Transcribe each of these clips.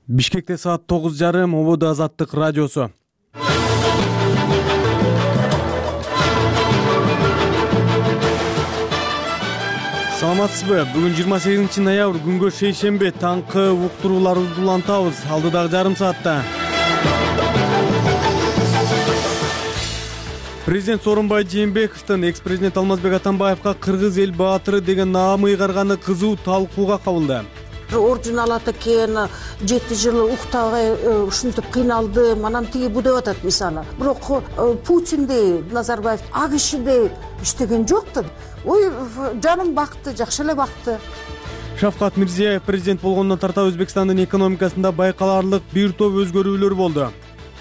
Бишкекте саат 9:30 ободо Азаттык радиосу. Саламатсызбы? Бүгүн 28 ноябрь күнгө шейшемби, таңкы уктурууларыбызды улантабыз. Алдыдагы жарым саатта Президент Сооронбай Жээнбековдун экс-президент Алмазбек Атамбаевга кыргыз эл баатыры деген наам ыйгарганы кызуу талкууга кабылды. Орден алат экен, 7 жыл уктабай ушинтип кыйналдым, анан тиги бу деп атат мисалы. Бирок Путиндей, Назарбаев а кишидей иштеген жок да. Ой, жаным бакты, жакшы эле бакты. Шавкат Мирзиёев президент болгондон тарта Өзбекстандын экономикасында байкаларлык бир топ өзгөрүүлөр болду.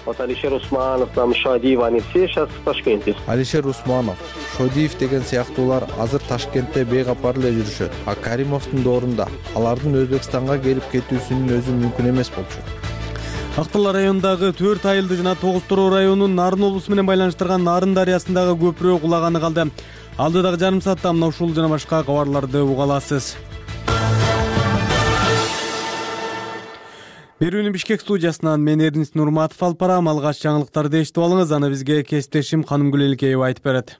Алишер Усманов, Шодиев, они все сейчас в Ташкенте. Алишер Усманов, Шодиев деген сыяктуулар азыр Ташкентте бейкапар эле жүрүшөт. А Каримовдун доорунда алардын Өзбекстанга келип кетүүсүнүн өзү мүмкүн эмес болчу. Актала районундагы 4 айылды жана 9 Тороо районунун Нарын облусу менен байланыштырган Нарын дарыясындагы көпүрө кулаганы калды. Алдыдагы жарым саатта мына ушул жана башка кабарларды уга аласыз. Берүүнү Бишкек студиясынан мен Эрнис Нурматов алып барам. Алгач жаңылыктарды эшитип алыңыз, аны бизге кесиптешим Канымгүл Элкеева айтып берет.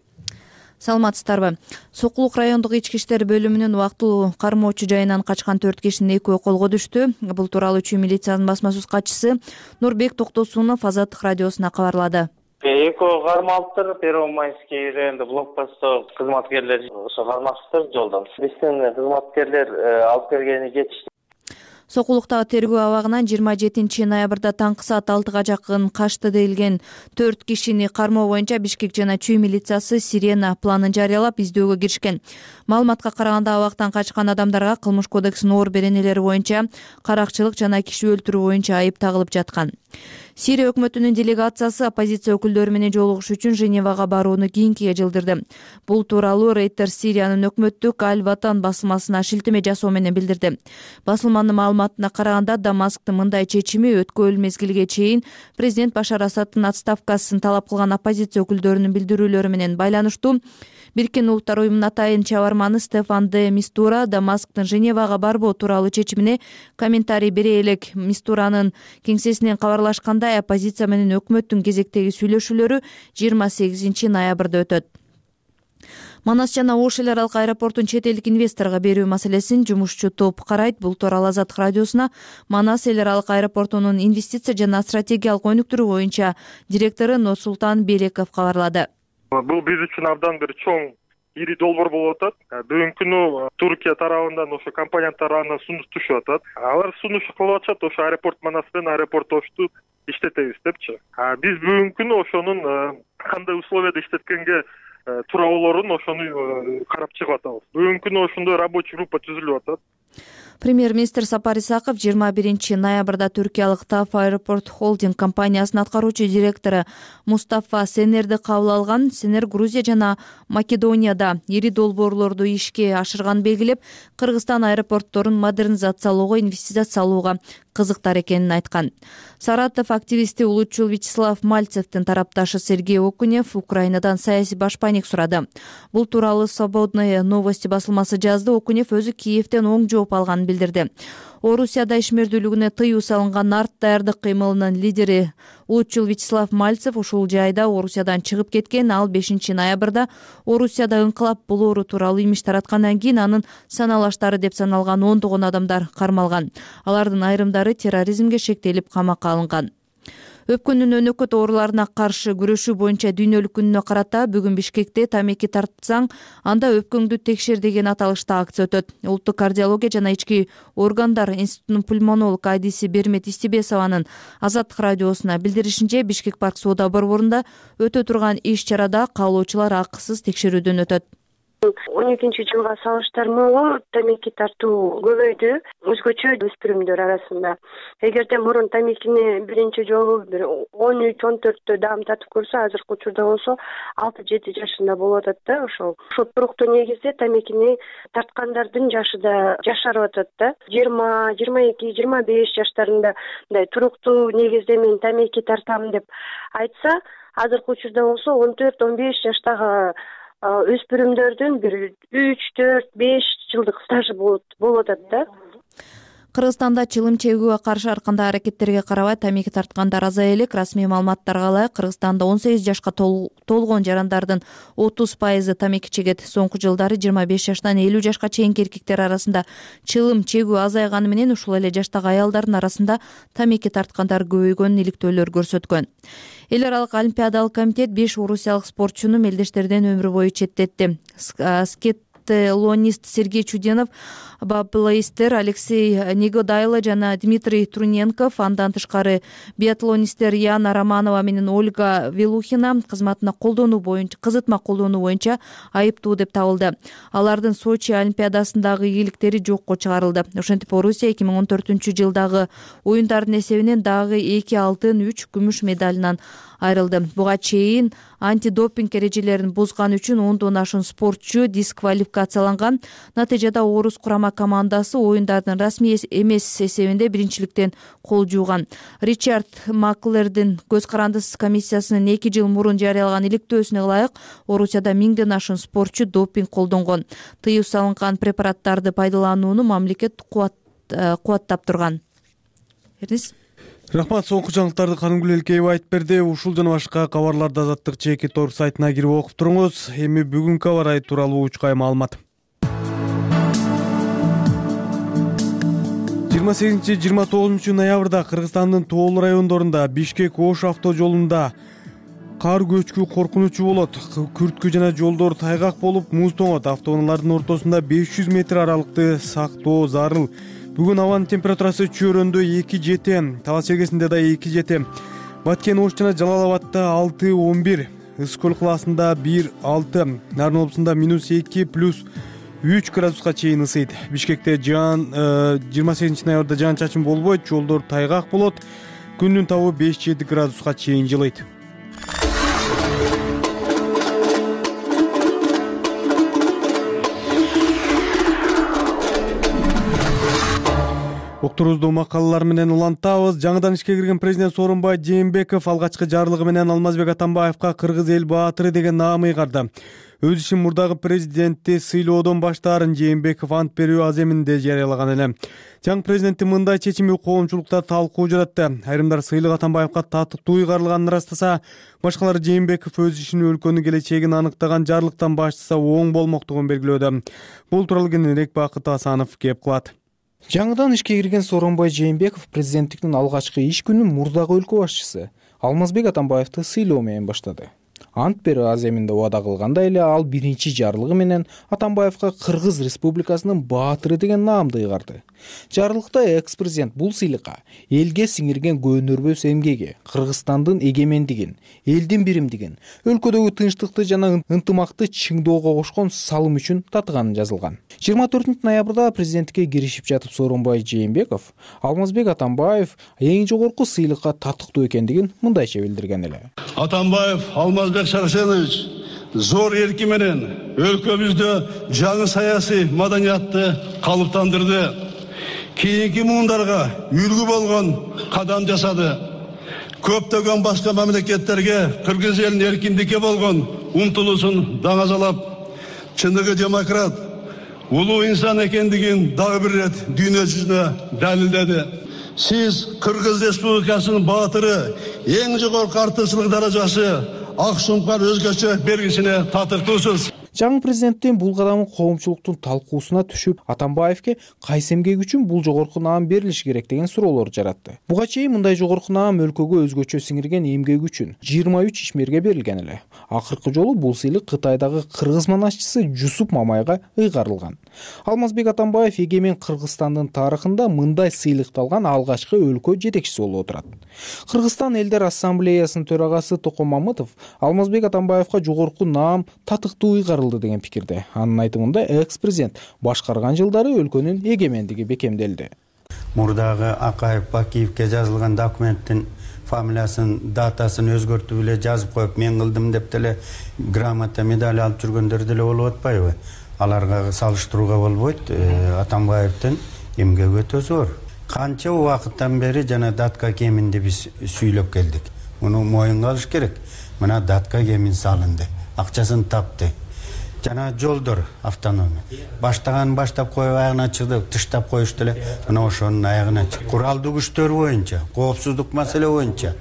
Саламатсыздарбы? Сокулук райондук ички иштер бөлүмүнүн убактылуу кармоочу жайынан качкан 4 кишинин экөө колго түштү. Бул тууралуу Чүй милициянын басма сөз катчысы Нурбек Токтосунов Азаттык радиосуна кабарлады. Экөө кармалыптыр, Первомайский районунда блокпостто кызматкерлер ошо кармаштыр жолдон. Биздин кызматкерлер алып келгени кетишти. Сокулуктагы тергөө абагынан 27 ноябрда таңкы саат 6-га жакын качты делген 4 кишини кармоо боюнча Бишкек жана Чүй милициясы Сирена планын жарыялап издөөгө киришкен. Маалыматка караганда абактан качкан адамдарга Кылмыш кодексинин оор беренелери боюнча каракчылык жана киши өлтүрүү боюнча айып тагылып жаткан. Сирия өкмөтүнүн делегациясы оппозиция өкүлдөрү менен жолугуш үчүн Женевага барууну кийинкиге жылдырды. Бул тууралуу Reuters Сириянын өкмөттүк Аль-Ватан басылмасына шилтеме жасоо менен билдирди. Басылманын маалыматына караганда Дамасктын мындай чечими өткөн мезгилге чейин президент Башар Асадтын отставкасын талап кылган оппозиция өкүлдөрүнүн билдирүүлөрү менен байланыштуу. Бириккен Улуттар уюмунун атайын чабарманы Стефан де Мистура Дамасктын Женевага барбоо тууралуу чечимине комментарий бере элек. Мистуранын кеңсесинен кабарлашкандай, оппозиция менен өкмөттүн кезектеги сүйлөшүүлөрү 28 ноябрда өтөт. Манас жана Ош эл аралык аэропортун чет элдик инвесторго берүү маселесин жумушчу топ карайт. Бул тууралуу Азаттык радиосуна Манас эл аралык аэропортунун инвестиция жана стратегиялык өнүктүрүү боюнча директору Нурсултан Береков кабарлады. Бул биз үчүн абдан бир чоң ири долбоор болуп атат. Бүгүнкү күнү Туркия тарабынан ошо компания тарабынан сунуш түшүп атат. Алар сунуш кылып атышат, ошо аэропорт Манас менен аэропорт Ошту иштетебиз депчи. Биз бүгүнкү күнү ошонун кандай условияда иштеткенге туура болоорун ошону карап чыгып атабыз. Бүгүнкү күнү ошондой рабочий группа түзүлүп атат. Премьер-министр Сапар Исаков 21 ноябрда түркиялык ТАФ Аэропорт Холдинг компаниясынын аткаруучу директору Мустафа Сенерди кабыл алган. Сенер Грузия жана Македонияда ири долбоорлорду ишке ашырганын белгилеп, Кыргызстан аэропортторун модернизациялоого, инвестиция салууга кызыктар экенин айткан. Саратов активисти улутчул Вячеслав Мальцевдин тарапташы Сергей Окунев Украинадан саясий башпайник сурады. Бул тууралуу Свободные новости басылмасы жазды. Окунев өзү Киевден оң жооп алганын билдирди. Орусияда ишмердүүлүгүнө тыюу салынган нарт даярдык кыймылынын лидери улутчул Вячеслав Мальцев ушул жайда Орусиядан чыгып кеткен. Ал 5 ноябрда Орусияда ыңкылап болоору тууралуу имиш тараткандан кийин анын саналаштары деп саналган 10 адамдар кармалган. Алардын айрымдары терроризмге шектелип камакка алынган. Өпкүнүн өнөкөт ооруларына каршы күрөшүү боюнча дүйнөлүк күнүнө карата бүгүн Бишкекте тамеки тартсаң, анда өпкөңдү текшер деген аталышта акция өтөт. Улуттук кардиология жана ички органдар институтунун пульмонолог Айдиси Бермет Истибесованын Азаттык радиосуна билдиришинче, Бишкек парк соода борборунда өтө турган иш-чарада каалоочулар акысыз текшерүүдөн өтөт. 12-жылга салыштырмалуу тамеки тартуу көбөйдү өзгөчө өспүрүмдөр арасында. Эгерде мурун тамекини биринчи жолу 13-14 даам тартып көрсө, азыркы учурда болсо 6-7 жашында болуп атат да. Ошол туруктуу негизде тамекини тарткандардын жашы да жашарып атат да. 20, 22, 25 жаштарында мындай туруктуу негизде мен тамеки тартам деп айтса, азыркы учурда болсо 14-15 жаштагы өспүрүмдөрдүн бир 3, 4, 5 жылдык стажы болуп атат да. Кыргызстанда чылым чегүүгө каршы ар кандай аракеттерге карабай тамеки тарткандар азая элек. Расмий маалыматтарга ылайык, Кыргызстанда 18 жашка толгон жарандардын 30% тамеки чегет. Соңку жылдары 25 жаштан 50 жашка чейинки эркектер арасында чылым чегүү азайганы менен ушул эле жаштагы аялдардын арасында тамеки тарткандар көбөйгөнүн иликтөөлөр көрсөткөн. Эл аралык олимпиадалык комитет 5 орусиялык спортчуну мелдештерден өмүр бою четтетти. Скетлонист Сергей Чуденов, баблоистер Алексей Негодайло жана Дмитрий Труненков, андан тышкары биатлонисттер Яна Романова менен Ольга Велухина кызматма колдонуу боюнча айыптуу деп табылды. Алардын Сочи олимпиадасындагы ийгиликтери жокко чыгарылды. Ошентип Орусия 2014-жылдагы оюндардын эсебинен дагы 2 алтын, 3 күмүш медалынан айрылды. Буга чейин антидопинг эрежелерин бузган үчүн 10дон ашуун спортчу дисквалификацияланган. Натыйжада орус курама командасы оюндардын расмий эмес эсебинде биринчиликтен кол жууган. Ричард Маклердин көз карандысыз комиссиясынын 2 жыл мурун жарыялаган иликтөөсүнө ылайык Орусияда 1000ден ашуун спортчу допинг колдонгон. Тыюу салынган препараттарды пайдаланууну мамлекет кубаттап турган. Рахмат, соңку жаңылыктарды Канымгүл Элкеева айтып берди. Ушул жана башка кабарларды Азаттык ЖК.орг сайтына кирип окуп туруңуз. Эми бүгүнкү аба ырайы тууралуу учкай маалымат. 28-29 ноябрда Кыргызстандын тоолуу райондорунда Бишкек-Ош автожолунда кар көчкү коркунучу болот. Күрткү жана жолдор тайгак болуп, муз тоңот. Автоунаалардын ортосунда 500 метр аралыкты сактоо зарыл. Бүгүн абанын температурасы Чөйрөндө 2-7, Талас чергесинде да 2-7, Баткен, Ош жана Жалал Абадта 6-11, Ысык көл калаасында 1-6, Нарын облусунда -2+3 градуска чейин ысыйт. Бишкекте 28 ноябрда жаан чачын болбойт, жолдор тайгак болот. Күндүн табы 5-7 градуска чейин жылыйт. Окторубузду макалалар менен улантабыз. Жаңыдан ишке кирген президент Сооронбай Жээнбеков алгачкы жарлыгы менен Алмазбек Атамбаевка Кыргыз эл баатыры деген наам ыйгарды. Өз ишин мурдагы президентти сыйлоодон баштаарын Жээнбеков ант берүү аземинде жарыялаган эле. Жаңы президенттин мындай чечими коомчулукта талкуу жаратты. Айрымдар сыйлык Атамбаевка татыктуу ыйгарылганын ырастаса, башкалары Жээнбеков өз ишин өлкөнүн келечегин аныктаган жарлыктан баштаса оң болмоктугун белгилөөдө. Бул тууралуу кененирээк Бакыт Асанов кеп кылат. Жаңыдан ишке кирген Сооронбай Жээнбеков президенттиктин алгачкы иш күнүн мурдагы өлкө башчысы Алмазбек Атамбаевди сыйлоо менен баштады. Ант берүү аземинде убада кылгандай эле ал биринчи жарлыгы менен Атамбаевка Кыргыз Республикасынын баатыры деген наамды ыйгарды. Жарлыкта экс-президент бул сыйлыкка элге сиңирген көөнөрбөс эмгеги, Кыргызстандын эгемендигин, элдин биримдигин, өлкөдөгү тынчтыкты жана ынтымакты чыңдоого кошкон салым үчүн татыганы жазылган. 24 ноябрда президенттикке киришип жатып Сооронбай Жээнбеков Алмазбек Атамбаев эң жогорку сыйлыкка татыктуу экендигин мындайча билдирген эле. Атамбаев Алмазбек Шарсенович зор эрки менен өлкөбүздө жаңы саясий маданиятты калыптандырды. Кийинки муундарга үлгү болгон кадам жасады. Көптөгөн башка мамлекеттерге Кыргыз элинин эркиндикке болгон умтулуусун даңазалап, чындыгы демократ, улуу инсан экендигин дагы бир ирет дүйнө жүзүнө далилдеди. Сиз Кыргыз Республикасынын баатыры, эң жогорку артыкчылык даражасы ак сумкар өзгөчө белгисине татыктуусуз. Жаңы президенттин бул кадамы коомчулуктун талкуусуна түшүп, Атамбаевке кайсы эмгек үчүн бул жогорку наам берилиши керек деген суроолор жаратты. Буга чейин мындай жогорку наам өлкөгө өзгөчө сиңирген эмгек үчүн 23 ишмерге берилген эле. Акыркы жолу бул сыйлык Кытайдагы кыргыз манашчысы Жусуп Мамайга ыйгарылган. Алмазбек Атамбаев эгемен Кыргызстандын тарыхында мындай сыйлыкты алган алгачкы өлкө жетекчиси болуп отурат. Кыргызстан элдер ассамблеясынын төрагасы Токон Мамытов Алмазбек Атамбаевка жогорку наам татыктуу ыйгарылды деген пикирде. Анын айтымында экс-президент башкарган жылдары өлкөнүн эгемендиги бекемделди. Мурдагы Акаев Бакиевке жазылган документтин фамилиясын, датасын өзгөртүп эле жазып коюп, мен кылдым деп деле грамота, медаль алып жүргөндөр деле болуп атпайбы? Аларга салыштырууга болбойт. Атамбаевдин эмгеги өтө зор. Канча убакыттан бери жана датка кеминди биз сүйлөп келдик. Муну моюнга алыш керек. Мына датка кемин салынды, акчасын тапты. жана жолдор автономия. Баштап коюп аягына чыгды, тыштап коюшту эле. Мына ошонун аягына чык. Куралдуу күчтөр боюнча, коопсуздук маселе боюнча.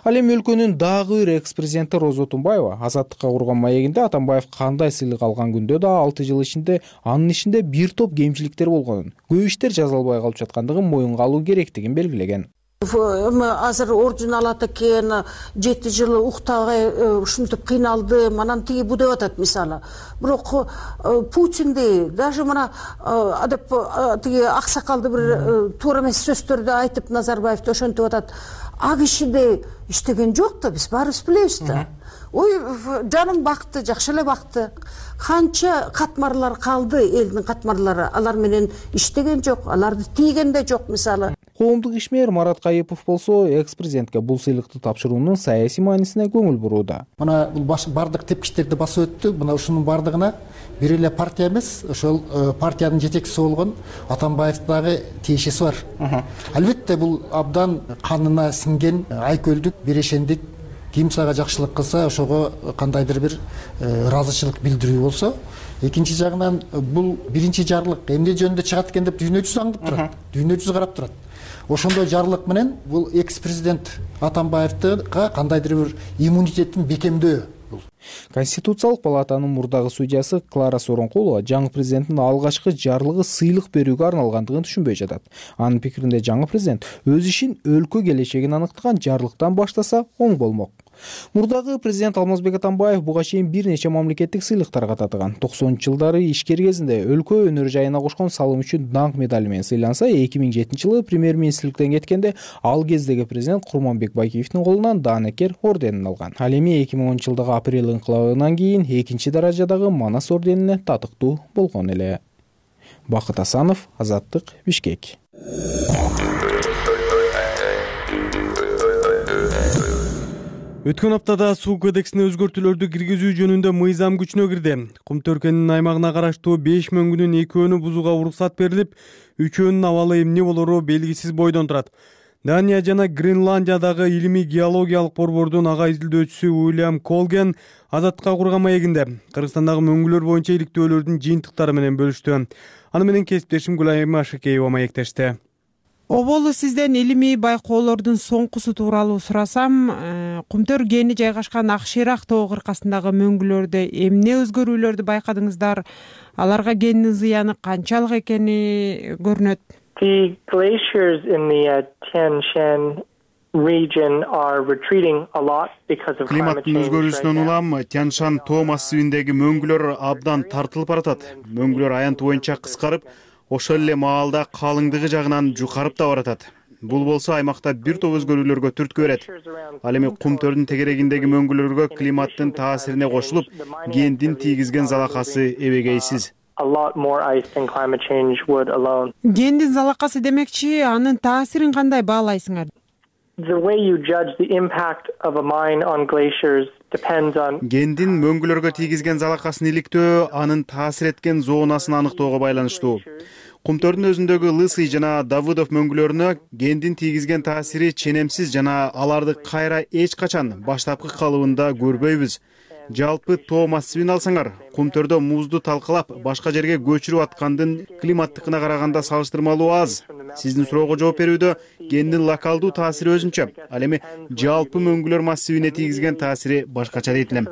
Ал эми өлкөнүн дагы бир экс-президенти Роза Тунбаева Азаттыкка курган маегинде Атамбаев кандай сыйлык алган күндө да 6 жыл ичинде анын ишинде бир топ кемчиликтер болгонун, көп иштер жазылбай калып жаткандыгын моюнга алуу керектигин белгилеген. Азыр орден алат экен, 7 жыл уктабай ушинтип кыйналдым, анан тиги бу деп атат мисалы. Бирок Путинди даже мына деп тиги аксакалды бир туура эмес сөздөрдү айтып Назарбаевди ошентип атат. А кишиде иштеген жок да, биз баарыбыз билебиз да. Ой, жаным бакты, жакшы эле бакты. Канча катмарлар калды, элдин катмарлары, алар менен иштеген жок, аларды тийген да жок мисалы. Коомдук ишмер Марат Кайыпов болсо экс-президентке бул сыйлыкты тапшыруунун саясий маанисине көңүл бурууда. Мына бардык тепкичтерди басып өттү. Мына ушунун бардыгына бир эле партия эмес, ошол партиянын жетекчиси болгон Атамбаевдин дагы тиешеси бар. Албетте бул абдан канына сиңген айкөлдүк, берешендик. Ким сага жакшылык кылса, ошого кандайдыр бир ыраазычылык билдирүү болсо, экинчи жагынан бул биринчи жарлык эмне жөнүндө чыгат экен деп дүйнө жүзү аңдып турат. Дүйнө жүзү карап турат. Ошондой жарлык менен бул экс-президент Атамбаевдга кандайдыр бир иммунитеттин бекемдөө. Конституциялык палатанын мурдагы судьясы Клара Соронкулова жаңы президенттин алгачкы жарлыгы сыйлык берүүгө арналгандыгын түшүнбөй жатат. Анын пикиринде жаңы президент өз ишин өлкө келечегин аныктаган жарлыктан баштаса оң болмок. Мурдагы президент Алмазбек Атамбаев буга чейин бир нече мамлекеттик сыйлыктарга татыган. 90-жылдары ишкер кезинде өлкө өнөр жайына кошкон салым үчүн даңк медали менен сыйланса, 2007-жылы премьер-министрликтен кеткенде ал кездеги президент Курманбек Байкеевдин колунан Даанекер орденин алган. Ал эми 2010-жылдагы апрель инкылабынан кийин экинчи даражадагы Манас орденине татыктуу болгон эле. Бакыт Асанов, Азаттык, Бишкек. Өткөн аптада суу кодексине өзгөртүүлөрдү киргизүү жөнүндө мыйзам күчүнө кирди. Кум Төркөнүнүн аймагына караштуу 5 мөңгүнүн 2-өө бузууга уруксат берилип, 3-өөнүн абалы эмне болору белгисиз бойдон турат. Дания жана Гренландиядагы илимий геологиялык борбордун ага изилдөөчүсү Уильям Колген Азаттыкка курган маегинде Кыргызстандагы мөңгүлөр боюнча иликтөөлөрдүн жыйынтыктары менен бөлүштү. Аны менен кесиптешим Гүлайым Ашыкеева маектешти. Оболу сизден илимий байкоолордун соңкусу тууралуу сурасам, Кумтөр кени жайгашкан Акширак тоо кыркасындагы мөңгүлөрдө эмне өзгөрүүлөрдү байкадыңыздар? Аларга кендин зыяны канчалык экени көрүнөт? The glaciers in the Tian Shan region are retreating a lot because of climate change. Климаттын өзгөрүүсүнөн улам Тяншан тоо массивиндеги мөңгүлөр абдан тартылып баратат. Мөңгүлөр аянты боюнча кыскарып, ошол эле маалда калыңдыгы жагынан жукарып да баратат. Бул болсо аймакта бир топ өзгөрүүлөргө түрткү берет. Ал эми Кумтөрдүн тегерегиндеги мөңгүлөргө климаттын таасирине кошулуп, кендин тийгизген залакасы эбегейсиз. Кендин залакасы демекчи, анын таасирин кандай баалайсыңар? The way you judge the impact of a mine on glaciers depends on Кендин мөңгүлөргө тийгизген залакасын иликтөө анын таасир эткен зонасын аныктоого байланыштуу. Кумтөрдүн өзүндөгү Лысый жана Давыдов мөңгүлөрүнө кендин тийгизген таасири ченемсиз жана аларды кайра эч качан баштапкы калыбында көрбөйбүз. Жалпы тоо массивин алсаңар, Кумтөрдө музду талкалап, башка жерге көчүрүп аткандын климаттыкына караганда салыштырмалуу аз. Сиздин суроого жооп берүүдө кендин локалдуу таасири өзүнчө, ал эми жалпы мөңгүлөр массивине тийгизген таасири башкача дейт элем.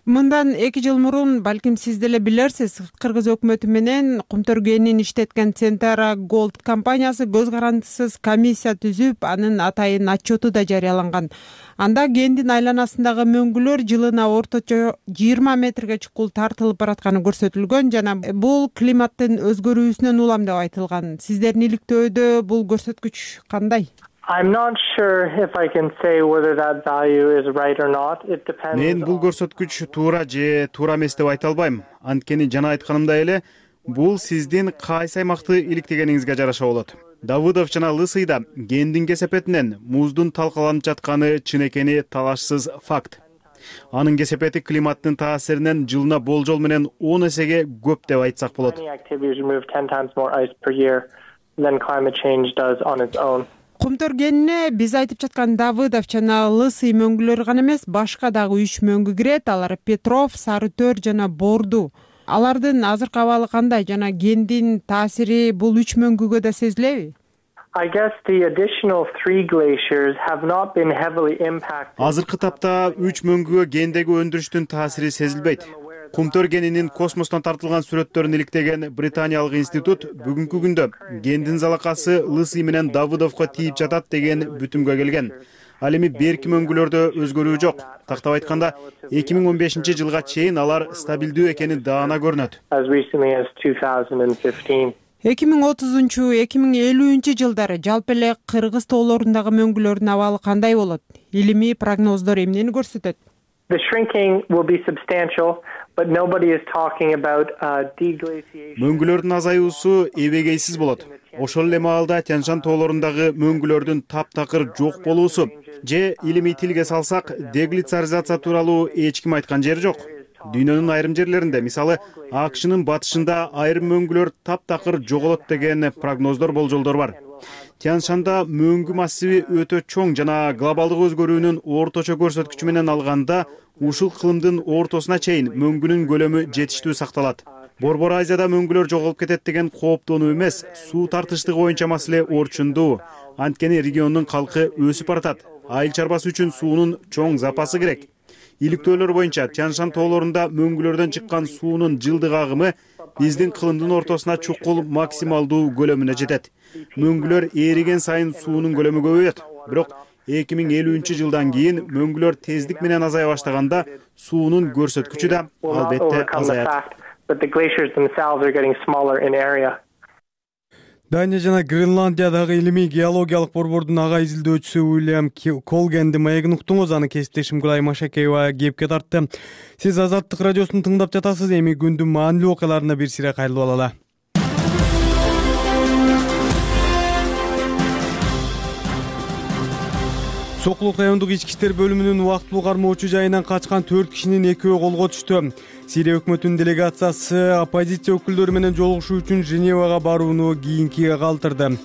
Мындан 2 жыл мурун, балким сиз деле билерсиз, Кыргыз өкмөтү менен Кумтөр кенин иштеткен Центара Голд компаниясы көз карандысыз комиссия түзүп, анын атайын отчету да жарыяланган. Анда кендин айланасындагы мөңгүлөр жылына орточо 20 метрге чукул тартылып баратканы көрсөтүлгөн жана бул климаттын өзгөрүүсүнөн улам деп айтылган. Сиздердин иликтөөдө бул көрсөткүч кандай? I'm not sure if I can say whether that value is right or not. It depends. Мен бул көрсөткүч туура же туура эмес деп айта албайм. Анткени жана айтканымдай эле, бул сиздин кайсы аймакты иликтегениңизге жараша болот. Давыдов жана Лысыйда кендин кесепетинен муздун талкаланып жатканы чын экени талашсыз факт. Анын кесепети климаттын таасиринен жылына болжол менен 10 эсеге көп деп айтсак болот. Кумтөр кенине биз айтып жаткан Давыдов жана Лысый мөңгүлөр гана эмес, башка дагы 3 мөңгү кирет. Алар Петров, Сарытөр жана Борду. Алардын азыркы абалы кандай жана кендин таасири бул 3 мөңгүгө да сезилеби? I guess the additional 3 glaciers have not been heavily impacted. Азыркы тапта 3 мөңгүгө кендеги өндүрүштүн таасири сезилбейт. Кумтөр кенинин космостон тартылган сүрөттөрүн иликтеген Британиялык институт бүгүнкү күндө кендин залакасы Лысый менен Давыдовго тийип жатат деген бүтүмгө келген. Ал эми берки мөңгүлөрдө өзгөрүү жок. Тактап айтканда, 2015-жылга чейин алар стабилдүү экени даана көрүнөт. As recently as 2015. 2030-2050 жылдары жалпы эле Кыргыз тоолорундагы мөңгүлөрдүн абалы кандай болот? Илимий прогноздор эмнени көрсөтөт? The shrinking will be substantial, but nobody is talking about deglaciation. Мөңгүлөрдүн азаюусу эбегейсиз болот. Ошол эле маалда Тянь-Шань тоолорундагы мөңгүлөрдүн таптакыр жок болуусу же илимий тилге салсак, деглицаризация тууралуу эч ким айткан жери жок. Дүйнөнүн айрым жерлеринде, мисалы, АКШнын батышында айрым мөңгүлөр таптакыр жоголот деген прогноздор, болжолдор бар. Тянь-Шанда мөңгү массиви өтө чоң жана глобалдык өзгөрүүнүн орточо көрсөткүчү менен алганда ушул кылымдын ортосуна чейин мөңгүнүн көлөмү жетиштүү сакталат. Борбор Азияда мөңгүлөр жоголуп кетет деген кооптонуу эмес, суу тартыштыгы боюнча маселе орчундуу. Анткени региондун калкы өсүп баратат. Айыл чарбасы үчүн суунун чоң запасы керек. Иликтөөлөр боюнча Тянь-Шань тоолорунда мөңгүлөрдөн чыккан суунун жылдык агымы биздин кылымдын ортосуна чукул максималдуу көлөмүнө жетет. Мөңгүлөр ээриген сайын суунун көлөмү көбөйөт. Бирок 2050-жылдан кийин мөңгүлөр тездик менен азая баштаганда суунун көрсөткүчү да албетте азаят. Дания жана Гренландиядагы илимий геологиялык борбордун ага изилдөөчүсү Уильям Колгенди маегин уктуңуз, аны кесиптешим Гүлай Машакеева кепке тартты. Сиз Азаттык радиосун тыңдап жатасыз. Эми күндүн маанилүү окуяларына бир сире кайрылып алалы. Сокулук райондук ички иштер бөлүмүнүн убактылуу кармоочу жайынан качкан 4 кишинин экөө колго түштү. Сирия өкмөтүнүн делегациясы оппозиция өкүлдөрү менен жолугушуу үчүн Женевага барууну кийинкиге калтырды.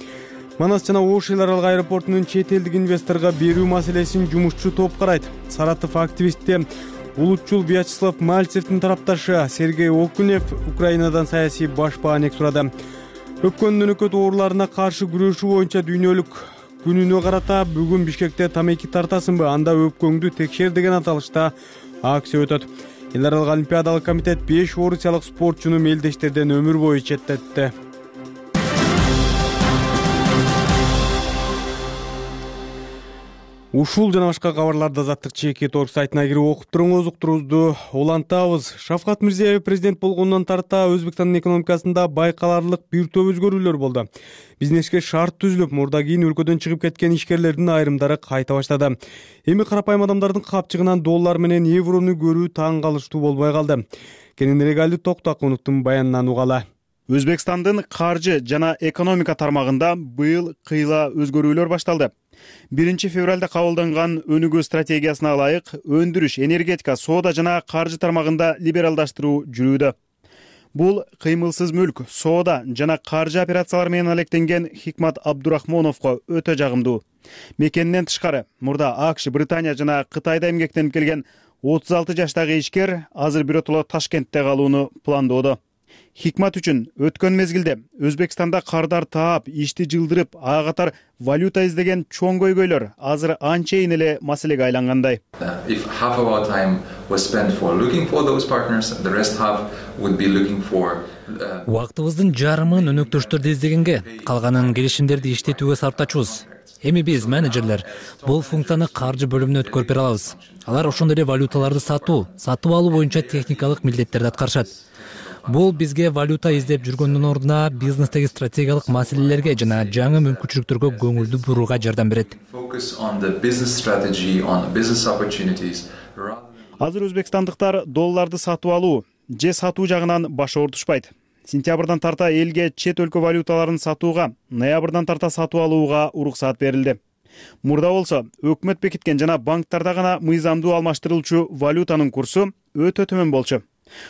Манас жана Ош эл аралык аэропортунун чет элдик инвесторго берүү маселесин жумушчу топ карайт. Саратов активисти улутчул Вячеслав Мальцевдин тарапташы Сергей Окунев Украинадан саясий баш баанек сурады. Өпкөн өнөкөт ооруларына каршы күрөшүү боюнча дүйнөлүк күнүнө карата бүгүн Бишкекте тамеки тартасыңбы, анда өпкөңдү текшер деген аталышта акция өтөт. Эл аралык олимпиадалык комитет 5 орусиялык спортчуну мелдештерден өмүр бою четтетти. Ушул жана башка кабарларды Азаттык ЧК.org сайтына кирип окуп туруңуз, уктуруңузду улантабыз. Шавкат Мирзиёев президент болгондон тарта Өзбекстандын экономикасында байкаларлык бир топ өзгөрүүлөр болду. Бизнеске шарт түзүлүп, мурда кийин өлкөдөн чыгып кеткен ишкерлердин айрымдары кайта баштады. Эми карапайым адамдардын капчыгынан доллар менен еврону көрүү таң калыштуу болбой калды. Кененирээк Али Токтакуновдун баянынан угалы. Өзбекстандын каржы жана экономика тармагында быйыл кыйла өзгөрүүлөр башталды. 1 февралда кабылданган өнүгүү стратегиясына ылайык өндүрүш, энергетика, соода жана каржы тармагында либералдаштыруу жүрүүдө. Бул кыймылсыз мүлк, соода жана каржы операциялары менен алектенген Хикмат Абдурахмоновго өтө жагымдуу. Мекенинен тышкары, мурда АКШ, Британия жана Кытайда эмгектенип келген 36 жаштагы ишкер азыр биротоло Ташкентте калууну пландоодо. Хикмат үчүн өткөн мезгилде Өзбекстанда кардар таап, ишти жылдырып, ага катар валюта издеген чоң көйгөйлөр азыр анчейин эле маселеге айлангандай. If half of our time was spent for looking for those partners, the rest half would be looking for Убактыбыздын жарымын өнөктөштөрдү издегенге, калганын келишимдерди иштетүүгө сарптачубуз. Эми биз менеджерлер бул функцияны каржы бөлүмүнө өткөрүп бере алабыз. Алар ошондой эле валюталарды сатып алуу боюнча техникалык милдеттерди аткарышат. Бул бизге валюта издеп жүргөндүн ордуна бизнестеги стратегиялык маселелерге жана жаңы мүмкүнчүлүктөргө көңүлдү бурууга жардам берет. Азыр өзбекстандыктар долларды сатып алуу же сатуу жагынан баш оорутушпайт. Сентябрдан тарта элге чет өлкө валюталарын сатууга, ноябрдан тарта сатып алууга уруксат берилди. Мурда болсо, өкмөт бекиткен жана банктарда гана мыйзамдуу алмаштырылчу валютанын курсу өтө төмөн болчу.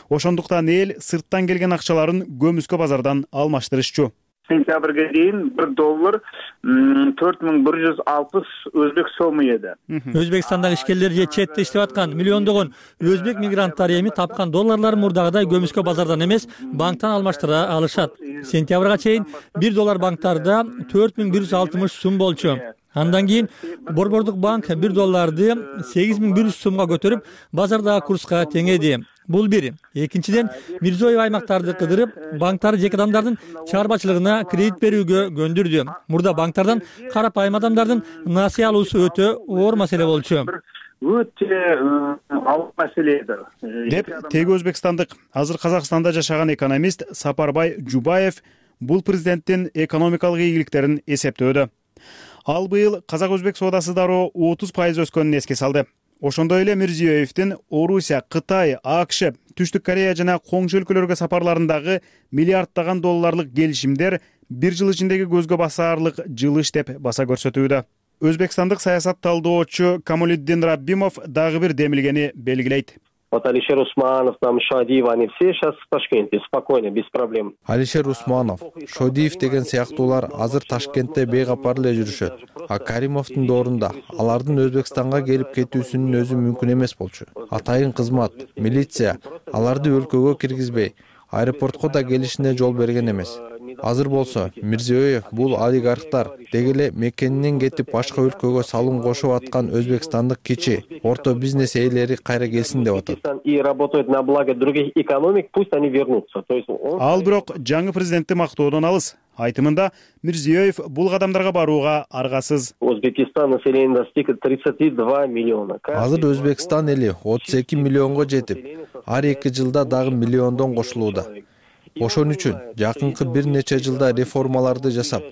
Ошондуктан эл сырттан келген акчаларын көмүскө базардан алмаштырышчу. сентябрга чейин $1 $4160 өзбек сому эди. Өзбекстандагы ишкерлер же четте иштеп аткан миллиондогон өзбек мигранттары эми тапкан долларларын мурдагыдай көмүскө базардан эмес, банктан алмаштыра алышат. Сентябрга чейин $1 банктарда 4160 сум болчу. Андан кийин Борбордук банк $1 8100 сумга көтөрүп, базардагы курска теңеди. Бул бир. Экинчиден, Мирзиёев аймактарды кыдырып, банктар жеке адамдардын чарбачылыгына кредит берүүгө көндүрдү. Мурда банктардан карапайым адамдардын насыя алуусу өтө оор маселе болчу. Өтө алып маселе деп теги өзбекстандык, азыр Казакстанда жашаган экономист Сапарбай Жубаев бул президенттин экономикалык ийгиликтерин эсептөөдө. Ал быйыл казак-өзбек соодасы дароо 30% өскөнүн эске салды. Ошондой эле Мирзиёевдин Орусия, Кытай, АКШ, Түштүк Корея жана коңшу өлкөлөргө сапарларындагы миллиарддаган долларлык келишимдер бир жыл ичиндеги көзгө басаарлык жылыш деп баса көрсөтүүдө. Өзбекстандык саясат талдоочу Камолиддин Раббимов дагы бир демилгени белгилейт. Алишер Усманов, Шодиев, они все сейчас в Ташкенте, спокойно, без проблем. Алишер Усманов, Шодиев деген сыяктуулар азыр Ташкентте бейкапар эле жүрүшөт. А Каримовдун доорунда алардын Өзбекстанга келип кетүүсүнүн өзү мүмкүн эмес болчу. Атайын кызмат, милиция аларды өлкөгө киргизбей, аэропортко да келишине жол берген эмес. Азыр болсо Мирзиёев бул олигархтар деги эле мекенинен кетип башка өлкөгө салым кошуп аткан өзбекстандык кичи, орто бизнес ээлери кайра келсин деп атат. И работают на благо других экономик, пусть они вернутся. Ал бирок жаңы президентти мактоодон алыс. Айтымында Мирзиёев бул кадамдарга барууга аргасыз. Өзбекстан население достигло 32 миллиона. Азыр Өзбекстан эли 32 миллионго жетип, ар 2 жылда дагы миллиондон кошулууда. Ошон үчүн жакынкы бир нече жылда реформаларды жасап,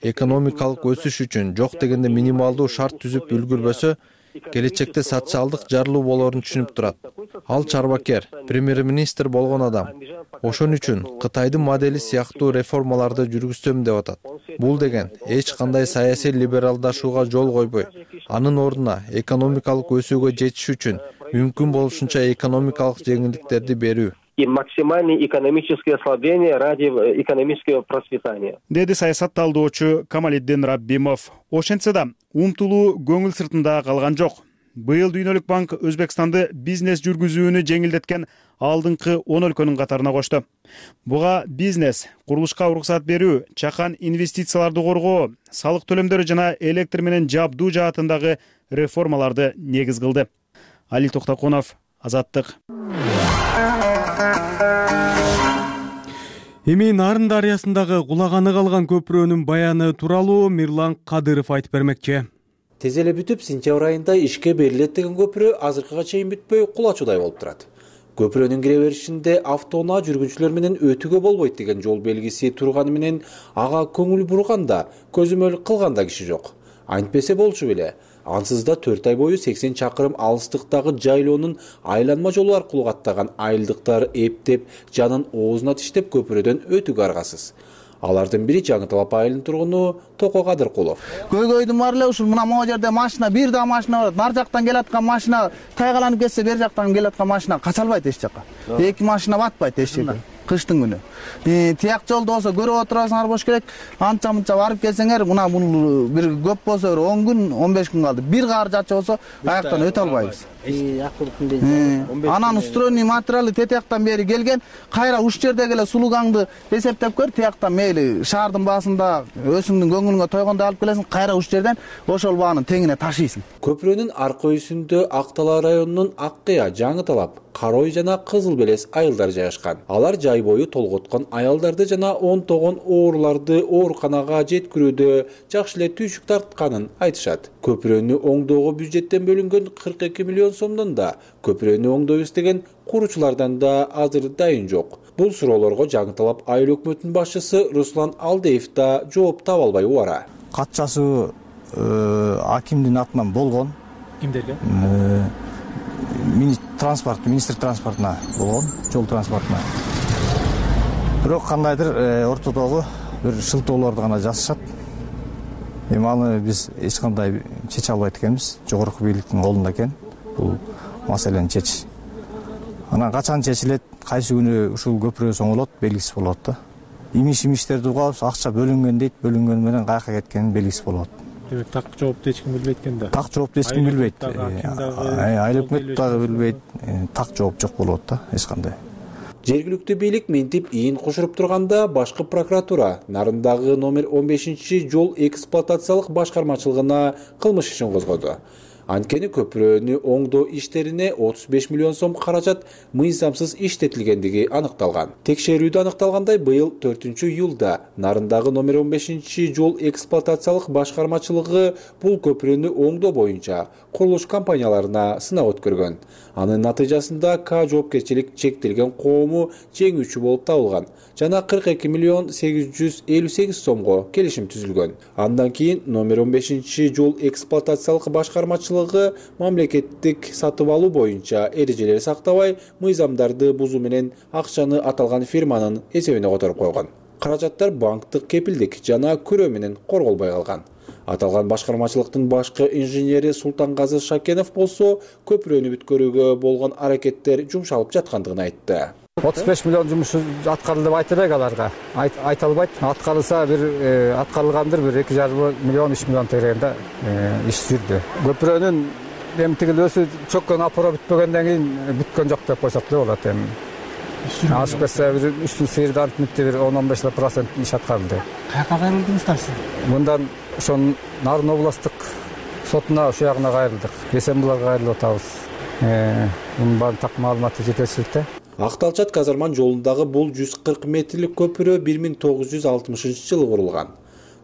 экономикалык өсүш үчүн жок дегенде минималдуу шарт түзүп үлгүрбөсө, келечекте социалдык жарылуу болорун түшүнүп турат. Ал чарбакер, премьер-министр болгон адам. Ошон үчүн Кытайдын модели сыяктуу реформаларды жүргүзсөм деп атат. Бул деген эч кандай саясий либералдашууга жол койбой, анын ордуна экономикалык өсүүгө жетиш үчүн мүмкүн болушунча экономикалык жеңилдиктерди берүү. И максимальное экономическое ослабление ради экономического процветания. Деди саясат талдоочу Камалиддин Раббимов. Ошентсе да умтулуу көңүл сыртында калган жок. Быйыл Дүйнөлүк банк Өзбекстанды бизнес жүргүзүүнү жеңилдеткен алдыңкы 10 өлкөнүн катарына кошту. Буга бизнес, курулушка уруксат берүү, чакан инвестицияларды коргоо, салык төлөмдөрү жана электр менен жабдуу жаатындагы реформаларды негиз кылды. Али Токтоконов, Азаттык. Эми Нарын дарыясындагы кулаганы калган көпүрөнүн баяны тууралуу Мирлан Кадыров айтып бермекчи. Тез эле бүтүп, сентябрь айында ишке берилет деген көпүрө азыркыга чейин бүтпөй кулачудай болуп турат. Көпүрөнүн кире беришинде автоунаа жүргүнчүлөр менен өтүүгө болбойт деген жол белгиси турганы менен ага көңүл бурганда, көзөмөл кылганда киши жок. Антпесе болчу беле. Ансыз да 4 ай бою 80 чакырым алыстыктагы жайлоонун айланма жолу аркылуу каттаган айылдыктар эптеп, жанын оозуна тиштеп көпүрөдөн өтүүгө аргасыз. Алардын бири Жаңы Талап айылынын тургуну Токо Кадыркулов. Көйгөйдүн бар эле ушул мына могу жерде машина, бир да машина бар. Нар жактан келаткан машина тайгаланып кетсе, бер жактан келаткан машина кача албайт эч жака. 2 машина батпайт эч жерде. Кыштын күнү. Тияк жолдо болсо көрүп отурасыңар болуш керек. Анча-мынча барып келсеңер, мына бул бир көп болсо 10 күн, 15 күн калды. Бир кар жачы болсо аяктан өтө албайбыз. Анан устроенный материалы тетияктан бери келген, кайра уш жерде эле сулугаңды эсептеп көр, тияктан мейли шаардын баасында өзүңдүн көңүлүңө тойгондо алып келесиң, кайра уш жерден ошол баанын теңине ташыйсың. Көпүрөнүн аркы өйүсүндө Актала районунун Аккыя, Жаңы Талап, Карой жана Кызыл Белес айылдары жайгашкан. Алар жай бою толготкон аялдарды жана онтогон ооруларды ооруканага жеткирүүдө жакшы эле түйшүк тартканын айтышат. Көпүрөнү оңдоого бюджеттен бөлүнгөн 42 миллион сомдон да көпүрөнү оңдойбуз деген куручулардан да азыр дайын жок. Бул суроолорго Жаңы Талап айыл өкмөтүнүн башчысы Руслан Алдеев да жооп таба албай убара. Кат жазуу акимдин атынан болгон. Кимдерге? Министр транспортуна болгон, жол транспортуна. Бирок кандайдыр ортодогу бир шылтоолорду гана жасашат. Эми аны биз эч кандай чече албайт экенбиз. Жогорку бийликтин колунда экен бул маселени чечиш. Анан качан чечилет, кайсы күнү ушул көпүрө соңолот белгисиз болот да. имиштерди угабыз, акча бөлүнгөн дейт, бөлүнгөнү менен каяка кеткенин белгиси болот. Демек так жоопту эч ким билбейт экен да. Так жоопту эч ким билбейт. Айыл өкмөт дагы билбейт. Так жооп жок болот да, эч кандай. Жергиликтүү бийлик минтип ийин кошуруп турганда башкы прокуратура Нарындагы номер 15-жол эксплуатациялык башкармачылыгына кылмыш ишин козгоду. Анткени көпүрөнү оңдоо иштерине 35 миллион сом каражат мыйзамсыз иштетилгендиги аныкталган. Текшерүүдө аныкталгандай, быйыл 4-июлда Нарындагы номер 15-жол эксплуатациялык башкармачылыгы бул көпүрөнү оңдоо боюнча курулуш компанияларына сынак өткөргөн. Анын натыйжасында К жоопкерчилик чектелген коому жеңүүчү болуп табылган жана 42 миллион 858 сомго келишим түзүлгөн. Андан кийин номер 15-жол эксплуатациялык башкармачылыгы мамлекеттик сатып алуу боюнча эрежелер сактабай, мыйзамдарды бузуу менен акчаны аталган фирманын эсебине которуп койгон. Каражаттар банктык кепилдик жана күрөө менен корголбой калган. Аталган башкармачылыктын башкы инженери Султангазы Шакенов болсо, көпүрөнү бүткөрүүгө болгон аракеттер жумшалып жаткандыгын айтты. 35 миллион жумуш аткарылды деп айта элек аларга. Айта албайт. Аткарылса аткарылгандыр 2,5 миллион 3 миллион тегерегинде иш жүрдү. Көпүрөнүн эмтигилөөсү чөккөн апора бүтпөгөндөн кийин бүткөн жок деп койсок да болот эми. Ашып кетсе үстүн сыйырдан митти 10-15% иш аткарылды. Каяка кайрылдыңыздар сиз? Мындан ошон Нарын областтык сотуна ошол жагына кайрылдык. Эсенбуларга кайрылып атабыз. Мунун баарын так маалыматы жетерсиздикте. Акталчат Казарман жолундагы бул 140 метрлик көпүрө 1960-жылы курулган.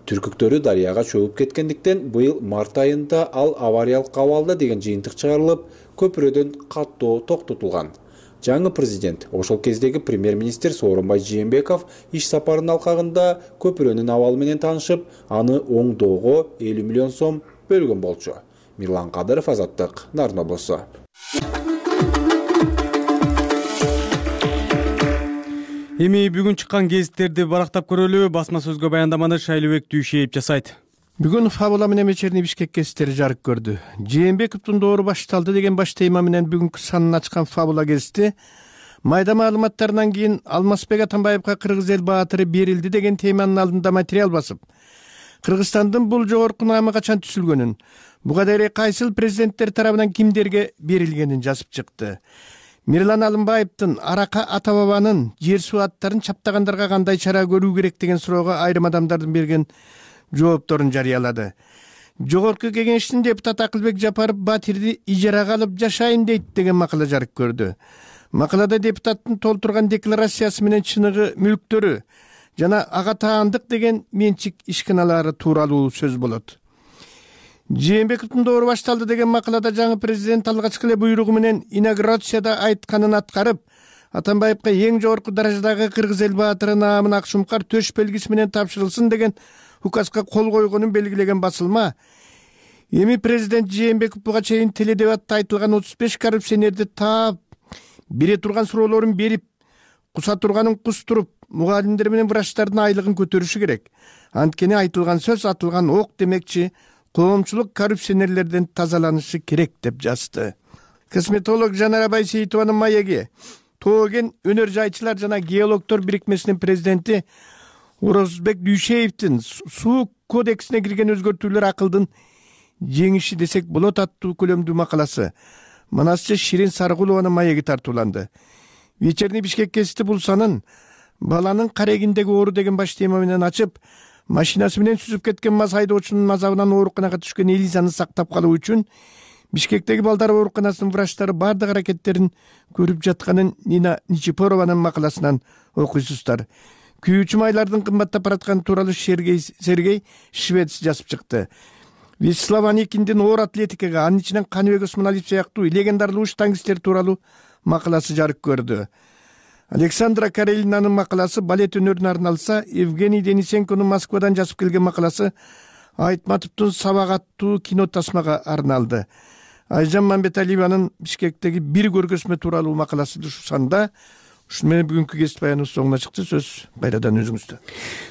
Түркүктөрү дарыяга чөгүп кеткендиктен быйыл март айында ал авариялык абалда деген жыйынтык чыгарылып, көпүрөдөн каттоо токтотулган. Жаңы президент, ошол кездеги премьер-министр Сооронбай Жээнбеков иш сапарынын алкагында көпүрөнүн абалы менен таанышып, аны оңдоого 50 миллион сом бөлгөн болчу. Мирлан Кадыров, Азаттык, Нарын облусу. Эми бүгүн чыккан гезиттерди барактап көрөлү. Басма сөзгө баяндаманы Шайлыбек Дүйшеев жасайт. Бүгүн фабула менен вечерний Бишкек гезиттери жарык көрдү. Жээнбековдун доору башталды деген баш тема менен бүгүнкү санын ачкан фабула гезити майда маалыматтарынан кийин Алмазбек Атамбаевга Кыргыз эл баатыры берилди деген теманын алдында материал басып, Кыргызстандын бул жогорку наамы качан түзүлгөнүн, буга дейин кайсыл президенттер тарабынан кимдерге берилгенин жазып чыкты. Мирлан Алымбаевдин арака ата бабанын жер суу аттарын чаптагандарга кандай чара көрүү керек деген суроого айрым адамдардын берген жоопторун жарыялады. Жогорку кеңештин депутаты Акылбек Жапаров Батирди ижарага алып жашайм дейт деген макала жарык көрдү. Макалада депутаттын толтурган декларациясы менен чыныгы мүлктөрү жана ага таандык деген менчик ишканалары тууралуу сөз болот. Жээнбековдун доору башталды деген макалада жаңы президент алгачкы эле буйругу менен инаугурацияда айтканын аткарып, Атамбаевга эң жогорку даражадагы Кыргыз эл баатыры наамын ак шумкар төш белгиси менен тапшырылсын деген указга кол койгонун белгилеген басылма, эми президент Жээнбеков буга чейин теледебатта айтылган 35 коррупционерди таап, бере турган суроолорун берип, куса турганын кустуруп, мугалимдер менен врачтардын айлыгын көтөрүшү керек. Анткени айтылган сөз атылган ок демекчи, коомчулук коррупционерлерден тазаланышы керек деп жазды. Косметолог Жанара Байсейитованын маеги Тоген өнөр жайчылар жана геологдор бирикмесинин президенти Орозбек Дүйшеевдин суу кодексине кирген өзгөртүүлөр акылдын жеңиши десек болот аттуу көлөмдүү макаласы манасчы Ширин Саргулованын маеги тартууланды. Вечерний Бишкек гезити бул санын баланын карегиндеги оору деген баш тема менен ачып, машинасы менен сүзүп кеткен маз айдоочунун азабынан ооруканага түшкөн Элизаны сактап калуу үчүн Бишкектеги балдар ооруканасынын врачтары бардык аракеттерин көрүп жатканын Нина Ничипорованын макаласынан окуйсуздар. Күйүүчү майлардын кымбаттап баратканы тууралуу Сергей Швец жазып чыкты. Вячеслав Аникиндин оор атлетикага, анын ичинен Каныбек Осмоналиев сыяктуу легендарлуу штангисттер тууралуу макаласы жарык көрдү. Александра Карелинанын макаласы балет өнөрүнө арналса, Евгений Денисенконун Москвадан жазып келген макаласы Айтматовдун Сабак аттуу кино тасмага арналды. Айжан Мамбеталиеванын Бишкектеги бир көргөзмө тууралуу макаласы ушул санда. Ушуну менен бүгүнкү гезит баяныбыз соңуна чыкты. Сөз кайрадан өзүңүздө.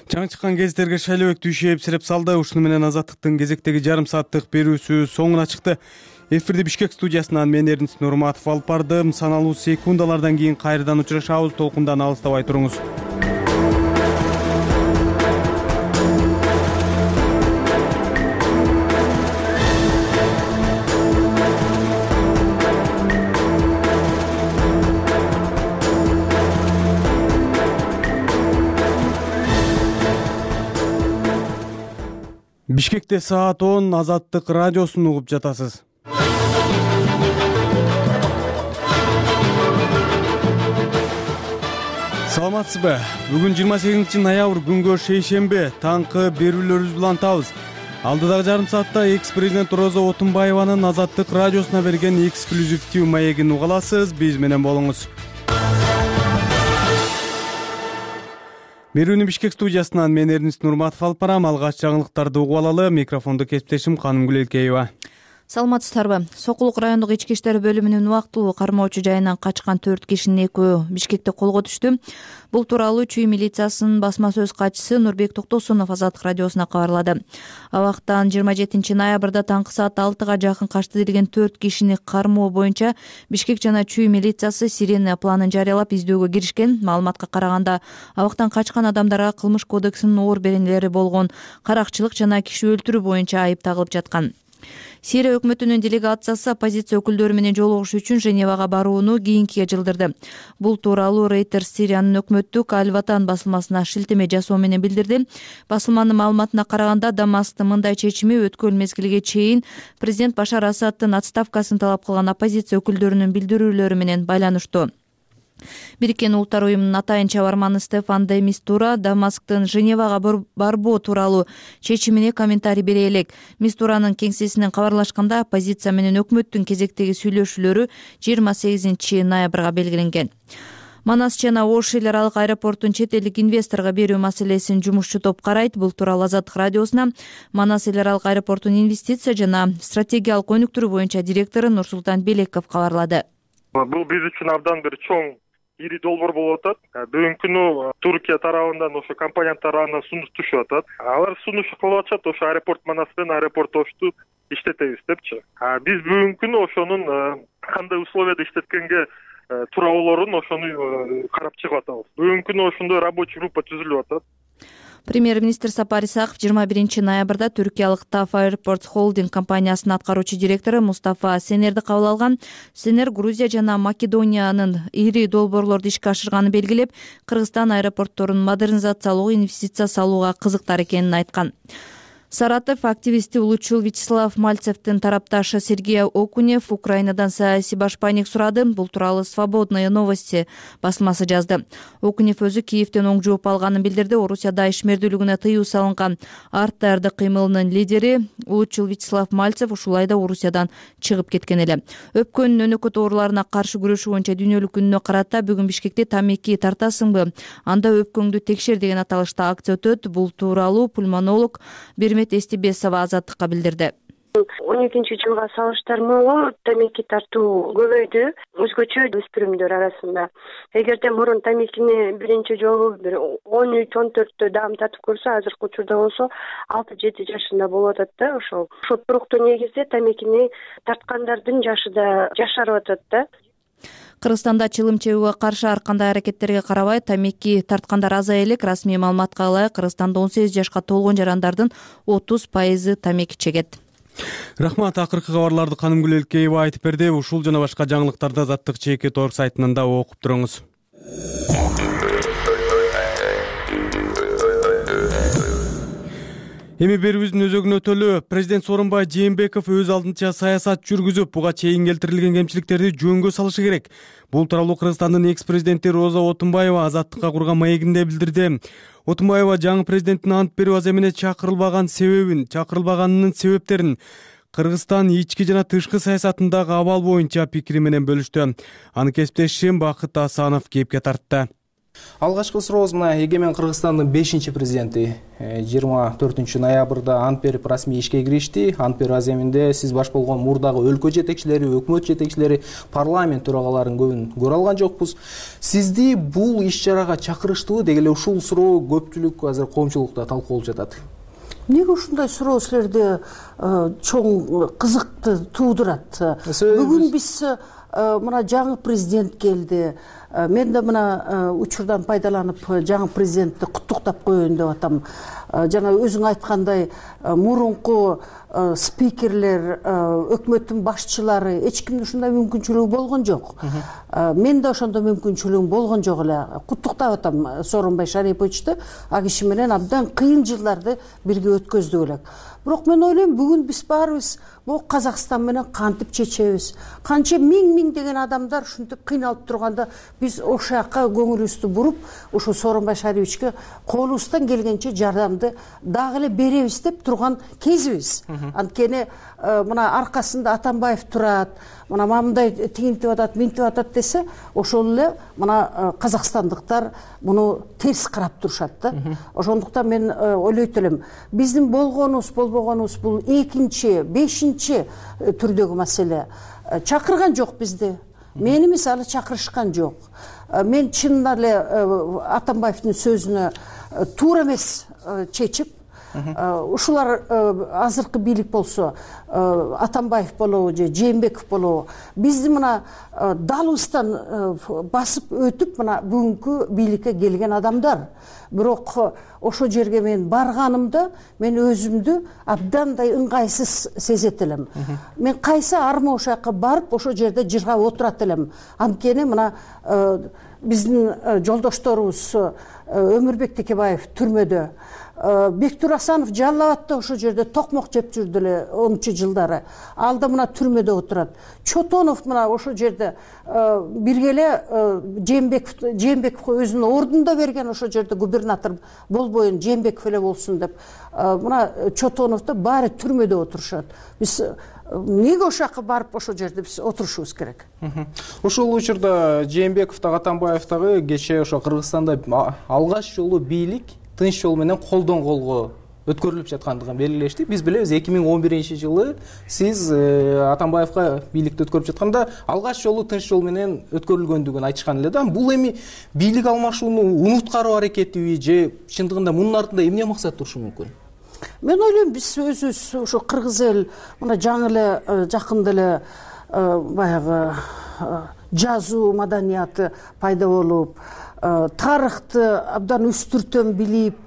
Жаңы чыккан гезиттерге Шайлыбек Дүйшеев сиреп салды. Ушуну менен Азаттыктын кезектеги жарым сааттык берүүсү соңуна чыкты. Эфирди Бишкек студиясынан мен Эрдинс Нурматов алып бардым. Саналуу секундалардан кийин кайрадан учурашабыз. Толкундан алыстабай туруңуз. Бишкекте саат 10 Азаттык радиосун угуп жатасыз. Саламатсызбы? Бүгүн 28 ноябрь күнгө шейшембе таңкы берүүлөрүбүз улантабыз. Алдыдагы жарым саатта экс-президент Роза Отунбаеванын Азаттык радиосуна берген эксклюзивдүү маегин уга аласыз. Биз менен болуңуз. Берүүнү Бишкек студиясынан мен Эрнис Нурматов алып барам. Алгач жаңылыктарды угуп алалы. Микрофондо кесиптешим Канымгүл Элкеева. Саламатсыздарбы? Сокулук райондук ички иштер бөлүмүнүн убактылуу кармоочу жайынан качкан 4 кишинин экөө Бишкекте колго түштү. Бул тууралуу Чүй милициясынын басма сөз катчысы Нурбек Токтосунов Азаттык радиосуна кабарлады. Абактан 27 ноябрда таңкы саат 6-га жакын качты делген 4 кишини кармоо боюнча Бишкек жана Чүй милициясы сирена планын жарыялап издөөгө киришкен. Маалыматка караганда, абактан качкан адамдарга Кылмыш кодексинин оор беренелери болгон каракчылык жана киши өлтүрүү боюнча айып тагылып жаткан. Сирия өкмөтүнүн делегациясы оппозиция өкүлдөрү менен жолугушуу үчүн Женевага барууну кийинкиге жылдырды. Бул тууралуу Reuters Сириянын өкмөттүк Аль-Ватан басылмасына шилтеме жасоо менен билдирди. Басылманын маалыматына караганда, Дамасктын мындай чечими өткөн мезгилге чейин президент Башар Асадтын отставкасын талап кылган оппозиция өкүлдөрүнүн билдирүүлөрү менен байланыштуу. Бириккен Улуттар уюмунун атайын чабарманы Стефан де Мистура Дамасктын Женевага барбоо тууралуу чечимине комментарий бере элек. Мистуранын кеңсесинен кабарлашканда, оппозиция менен өкмөттүн кезектеги сүйлөшүүлөрү 28 ноябрга белгиленген. Манас жана Ош эл аралык аэропортун чет элдик инвесторго берүү маселесин жумушчу топ карайт. Бул тууралуу Азаттык радиосуна Манас эл аралык аэропортунун инвестиция жана стратегиялык өнүктүрүү боюнча директору Нурсултан Белеков кабарлады. Бул биз үчүн абдан бир чоң ири долбоор болуп атат. Бүгүнкү күнү Туркия тарабынан ошо компания тарабынан сунуш түшүп атат. Алар сунуш кылып атышат, ошо аэропорт Манас менен аэропорт Ошту иштетебиз депчи. Биз бүгүнкү күнү ошонун кандай условияда иштеткенге туура болоорун ошону карап чыгып атабыз. Бүгүнкү күнү ошондой рабочий группа түзүлүп атат. Премьер-министр Сапар Исаков 21 ноябрда түркиялык TAF Airports Holding компаниясынын аткаруучу директору Мустафа Сенерди кабыл алган. Сенер Грузия жана Македониянын ири долбоорлорду ишке ашырганын белгилеп, Кыргызстан аэропортторун модернизациялоо, инвестиция салууга кызыктар экенин айткан. Саратов активисти Улучул Вячеслав Мальцевдин тарапташы Сергей Окунев Украинадан саясий башпайник сурады. Бул тууралуу Свободные новости басылмасы жазды. Окунев өзү Киевден оң жооп алганын билдирди. Орусияда ишмердүүлүгүнө тыюу салынган Артарды кыймылынын лидери Улучул Вячеслав Мальцев ушулай да Орусиядан чыгып кеткен эле. Өпкөн өнөкөт ооруларына каршы күрөшүү боюнча дүйнөлүк күнүнө карата бүгүн Бишкекте тамеки тартасыңбы, анда өпкөңдү текшер деген аталышта акция өтөт. Бул тууралуу пульмонолог Эстибесова Азаттыкка билдирди. 12-жылга салыштырмалуу тамеки тартуу көбөйдү, өзгөчө өспүрүмдөр арасында. Эгерде мурун тамекини биринчи жолу 13-14 даам татып көрсө, азыркы учурда болсо 6-7 жашында болуп атат да ошол. Туруктуу негизде тамекини тарткандардын жашы да жашарып атат да. Кыргызстанда чылым чегүүгө каршы ар кандай аракеттерге карабай тамеки тарткандар азая элек. Расмий маалыматка ылайык, Кыргызстанда 18 жашка толгон жарандардын 30% тамеки чегет. Рахмат, акыркы кабарларды Канымгүл Элкеева айтып берди. Ушул жана башка жаңылыктарды Азаттык ЧК сайтынан да окуп туруңуз. Эми берүүбүздүн өзөгүнө өтөлү. Президент Сооронбай Жээнбеков өз алдынча саясат жүргүзүп, буга чейин келтирилген кемчиликтерди жөнгө салышы керек. Бул тууралуу Кыргызстандын экс-президенти Роза Отунбаева Азаттыкка курган маегинде билдирди. Отунбаева жаңы президенттин ант берүү аземине чакырылбаганынын себептерин, Кыргызстан ички жана тышкы саясатындагы абал боюнча пикири менен бөлүштү. Аны кесиптешим Бакыт Асанов кепке тартты. Алгачкы сурообуз мына эгемен Кыргызстандын 5-президенти 24 ноябрда ант берип расмий ишке киришти. Ант берүү аземинде сиз баш болгон мурдагы өлкө жетекчилери, өкмөт жетекчилери, парламент төрагаларынын көбүн көрө алган жокпуз. Сизди бул иш-чарага чакырыштыбы? Деги эле ушул суроо көпчүлүк азыр коомчулукта талкууланып жатат. Эмнеге ушундай суроо силерде чоң кызыкты туудурат? Бүгүн биз мына жаңы президент келди. Мен да мына учурдан пайдаланып жаңы президентти куттуктап коеюн деп атам. жана өзүң айткандай мурунку спикерлер, өкмөттүн башчылары эч кимдин ушундай мүмкүнчүлүгү болгон жок. Мен да ошондой мүмкүнчүлүгүм болгон жок эле. Куттуктап атам Сооронбай Шариповичти, а киши менен абдан кыйын жылдарды бирге өткөздүк элек. Бирок мен ойлойм, бүгүн биз баарыбыз могу Казакстан менен кантип чечебиз? Канча миң деген адамдар ушинтип кыйналып турганда биз ошол жака көңүлүбүздү буруп, ошо Сооронбай Шариповичке колубуздан келгенче жардамды дагы эле беребиз деп турган кезибиз. Анткени мына аркасында Атамбаев турат, мына мындай тигинтип атат, минтип атат десе, ошол эле мына казакстандыктар муну терс карап турушат да. Ошондуктан мен ойлойт элем, биздин болгонубуз, болбогонубуз бул экинчи, бешинчи түрдөгү маселе. Чакырган жок бизди. Мени мисалы чакырышкан жок. Мен чынында эле Атамбаевдин сөзүнө туура эмес чечип, ушулар азыркы бийлик болсо, Атамбаев болобу же Жээнбеков болобу, бизди мына далыбыздан басып өтүп мына бүгүнкү бийликке келген адамдар. Бирок ошо жерге мен барганымда мен өзүмдү абдандай ыңгайсыз сезет элем. Мен кайсы арма ошол жака барып ошол жерде жыргап отурат элем. Анткени мына биздин жолдошторубуз Өмүрбек Текебаев түрмөдө, Бектур Асанов Жалал Абадта ошол жерде токмок жеп жүрдү эле 10-чу жылдары. Ал да мына түрмөдө отурат. Чотонов мына ошол жерде бирге эле Жээнбековго өзүнүн ордунда берген, ошол жерде губернатор болбойын, Жээнбеков эле болсун деп. Мына Чотоновдо баары түрмөдө отурушат. Биз эмнеге ошол жака барып ошол жерде биз отурушубуз керек? Ошол учурда Жээнбеков дагы Атамбаев дагы кечээ ошо Кыргызстанда алгач жолу бийлик тынч жол менен колдон колго өткөрүлүп жаткандыгын белгилешти. Биз билебиз 2011-жылы сиз Атамбаевга бийликти өткөрүп жатканда алгач жолу тынч жол менен өткөрүлгөндүгүн айтышкан эле да. Бул эми бийлик алмашууну унуткаруу аракетиби же чындыгында мунун артында эмне максат турушу мүмкүн? Мен ойлойм, биз өзүбүз ошо кыргыз эл мына жаңы эле жакында эле баягы жазуу маданияты пайда болуп, тарыхты абдан үстүртөн билип,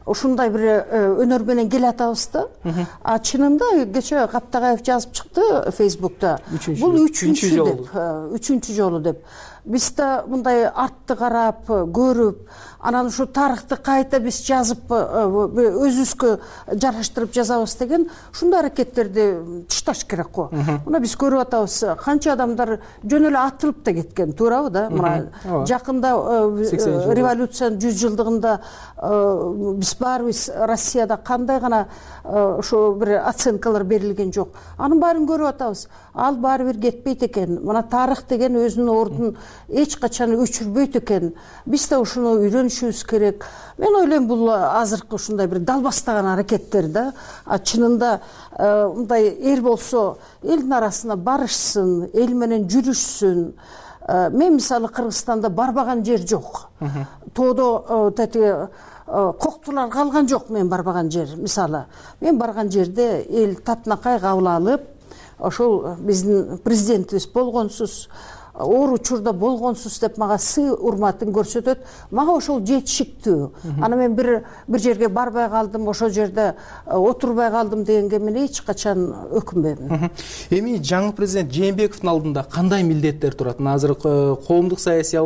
ушундай бир өнөр менен келатабыз да. А чынында кечээ Каптагаев жазып чыкты Фейсбукта. Бул үчүнчү жолу деп. Биз да мындай артты карап, көрүп, анан ушу тарыхты кайта биз жазып, өзүбүзгө жараштырып жазабыз деген ушундай аракеттерди ташташ керек го. Мына биз көрүп атабыз, канча адамдар жөн эле атылып да кеткен, туурабы да? Мына жакында революциянын 100 жылдыгында биз баарыбыз Россияда кандай гана ошо бир оценкалар берилген жок. Анын баарын көрүп атабыз. Ал баары бир кетпейт экен. Мына тарых деген өзүнүн ордун эч качан өчүрбөйт экен. Биз да ушуну үйрөнүшүбүз керек. Мен ойлойм, бул азыркы ушундай бир далбастаган аракеттер да. Чынында мындай эл болсо элдин арасына барышсын, эл менен жүрүшсүн. Мен мисалы Кыргызстанда барбаган жер жок. Тоодо тетиги коктулар калган жок мен барбаган жер. Мисалы, мен барган жерде эл татынакай кабыл алып, ошол биздин президентибиз болгонсуз, оор учурда болгонсуз деп мага сый урматын көрсөтөт. Мага ошол жетишиктүү. Аны мен бир жерге барбай калдым, ошол жерде отурбай калдым дегенге мен эч качан өкүнбөйм. Эми жаңы президент Жээнбековдун алдында кандай милдеттер турат? Азыр коомдук саясий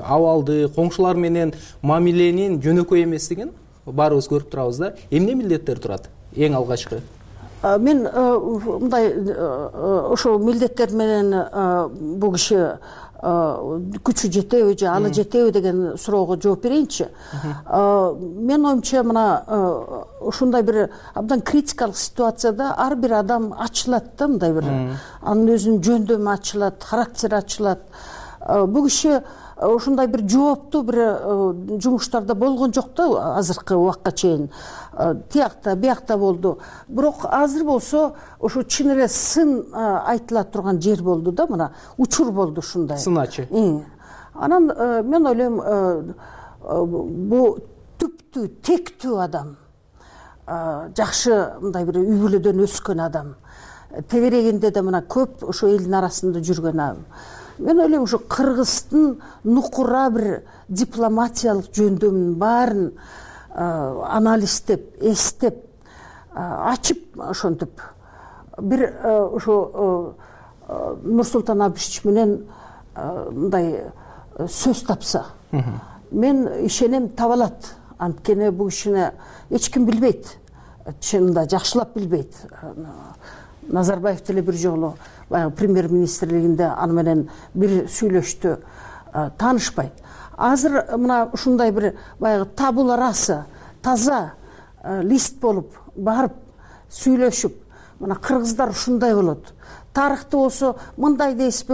абалды, коңшулар менен мамиленин жөнөкөй эместигин баарыбыз көрүп турабыз да. Эмне милдеттер турат? Эң алгачкы. Мен мындай ошол милдеттер менен бул киши күчү жетеби же алы жетеби деген суроого жооп берейинчи. Мен оюмча мына ушундай бир абдан критикалык ситуацияда ар бир адам ачылат да, мындай бир анын өзүнүн жөндөмү ачылат, характери ачылат. Бул киши ушундай бир жооптуу бир жумуштарда болгон жок да азыркы убакка чейин. Тиякта, биякта болду. Бирок азыр болсо ошо чын эле сын айтыла турган жер болду да, мына учур болду ушундай. Сыначы. Анан мен ойлойм, бул түптүү, тектүү адам, жакшы мындай бир үй бүлөдөн өскөн адам, тегерегинде да мына көп ошо элдин арасында жүргөн адам. Мен ойлойм, ошо Кыргыздын нукура бир дипломатиялык жөндөмүнүн баарын анализдеп, эстеп, ачып ошентип бир ошо Нурсултан Абишевич менен мындай сөз тапса, мен ишенем таба алат. Анткени бул кишини эч ким билбейт, чынында жакшылап билбейт. Назарбаев деле бир жолу баягы премьер-министрлигинде аны менен бир сүйлөштү, таанышпайт. Азыр мына ушундай бир баягы табула раса, таза лист болуп барып сүйлөшүп, мына кыргыздар ушундай болот. Тарыхты болсо мындай дейсизби,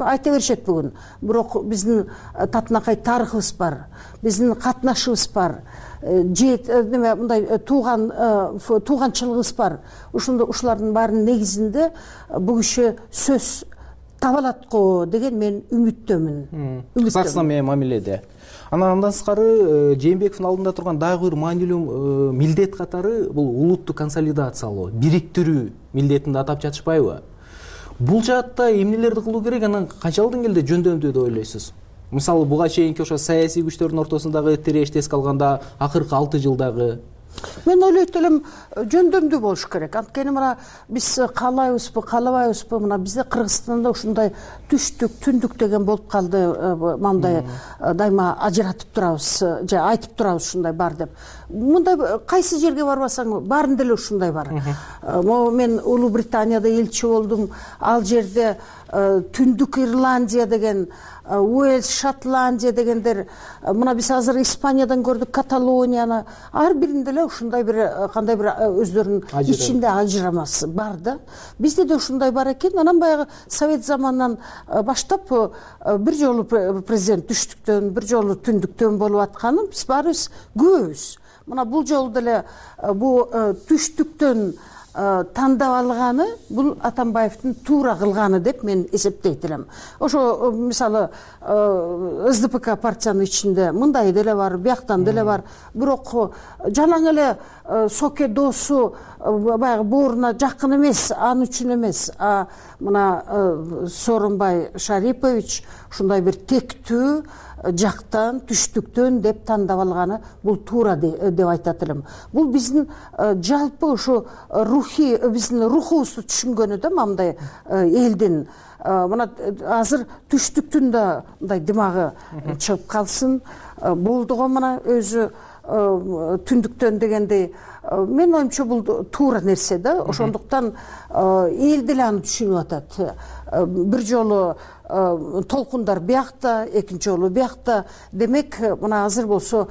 айта беришет бүгүн. Бирок биздин татынакай тарыхыбыз бар, биздин катнашыбыз бар, мындай тууганчылыгыбыз бар. Ушулардын баарынын негизинде бул киши сөз таба алат го деген мен үмүттөмүн. Казакстан менен мамиледе. Андан сырткары Жээнбековдун алдында турган дагы бир маанилүү милдет катары бул улутту консолидациялоо, бириктирүү милдетин атап жатышпайбы? Бул жаатта эмнелерди кылуу керек, анан канчалык деңгээлде жөндөмдүү деп ойлойсуз? Мисалы, буга чейинки ошо саясий күчтөрдүн ортосундагы тирешти эске алганда, акыркы 6 жылдагы мен ойлойт элем жөндөмдүү болуш керек. Анткени мына биз каалайбызбы, каалабайбызбы, мына бизде Кыргызстанда ушундай түштүк, түндүк деген болуп калды. Мындай дайыма ажыратып турабыз, же айтып турабыз ушундай бар деп. Мындай кайсы жерге барбасаң баарында эле ушундай бар. Мен Улуу Британияда элчи болдум. Ал жерде Түндүк Ирландия деген, Уэльс, Шотландия дегендер, мына биз азыр Испаниядан көрдүк, Каталонияны, ар биринде эле ушундай бир кандай бир өздөрүнүн ичинде ажырамасы бар да. Бизде да ушундай бар экен. Анан баягы Совет заманынан баштап бир жолу президент түштүктөн, бир жолу түндүктөн болуп атканы биз баарыбыз күбөбүз. Мына бул жолу деле бул түштүктөн тандап алганы бул Атамбаевдин туура кылганы деп мен эсептейт элем. Ошо мисалы СДПК партиянын ичинде мындай деле бар, бияктан деле бар. Бирок жалаң эле соке досу баягы бооруна жакын эмес, аны үчүн эмес. Мына Сооронбай Шарипович ушундай бир тектүү жактан, түштүктөн деп тандап алганы бул туура деп айтат элем. Бул биздин жалпы ушу биздин рухубузду түшүнгөнү да мындай элдин. Мына азыр түштүктүн да мындай дымагы чыгып калсын. Болду го мына өзү түндүктөн дегендей. Мен оюмча бул туура нерсе да. Ошондуктан эл деле аны түшүнүп атат. Бир жолу толкундар биякта, экинчи жолу биякта. Демек, мына азыр болсо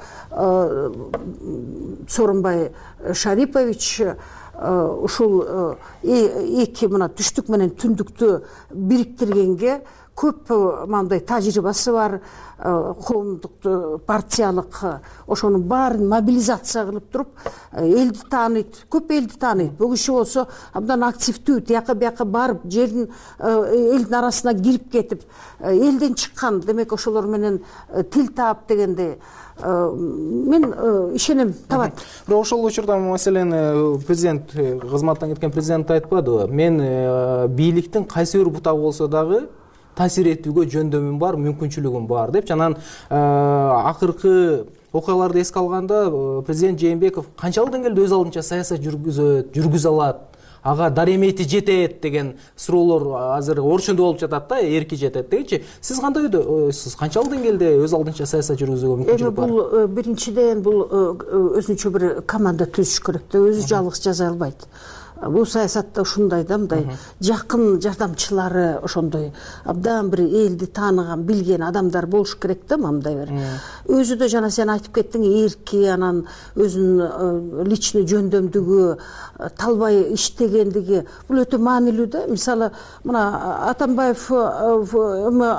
Сооронбай Шарипович ушул эки мына түштүк менен түндүктү бириктиргенге көп мындай тажрыйбасы бар, коомдук партиялык ошонун баарын мобилизация кылып туруп элди тааныйт, көп элди тааныйт. Бул киши болсо абдан активдүү, тияка барып жердин элдин арасына кирип кетип, элден чыккан. Демек, ошолор менен тил таап дегендей. Мен ишенем табат. Бирок ошол учурда маселен президент кызматтан кеткен президент айтпадыбы? Мен бийликтин кайсы бир бутагы болсо дагы таасир этүүгө жөндөмүм бар, мүмкүнчүлүгүм бар деп. Анан акыркы окуяларды эске алганда президент Жээнбеков канчалык деңгээлде өз алдынча саясат жүргүзө алат, ага даремети жетет деген суроолор азыр орчундо болуп жатат да, эрки жетет дегичи. Сиз кандай ойдосуз? Канчалык деңгээлде өз алдынча саясат жүргүзүүгө мүмкүнчүлүк бар? Бул биринчиден бул өзүнчө бир команда түзүш керек да, өзү жалгыз жаза албайт. Бул саясатта ушундай да, мындай жакын жардамчылары, ошондой абдан бир элди тааныган, билген адамдар болуш керек да, мындай бир. Өзү да жана сен айтып кеттиң, эрки, анан өзүнүн личный жөндөмдүгү, талбай иштегендиги, бул өтө маанилүү да. Мисалы, мына Атамбаев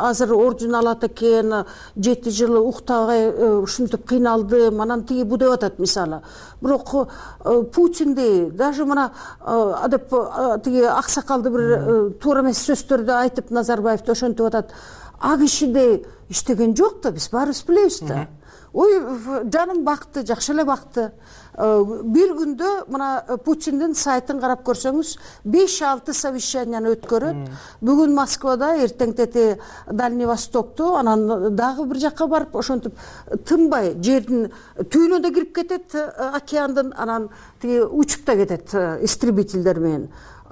азыр орден алат экен, 7 жыл уктабай ушинтип кыйналдым, анан тиги бу деп атат мисалы. Бирок Путинди даже мына адеп тиги аксакалды бир туура эмес сөздөрдү айтып Назарбаевди ошентип атат. А кишиде иштеген жок да, биз баарыбыз билебиз да. Ой, жаным бакты, жакшы эле бакты. бир күндө мына Путиндин сайтын карап көрсөңүз 5-6 совещанияны өткөрөт. Бүгүн Москвада, эртең тети Дальний Востокту, анан дагы бир жакка барып ошентип тынбай жердин түбүнө да кирип кетет, океандын, анан тиги учуп да кетет истребительдер менен.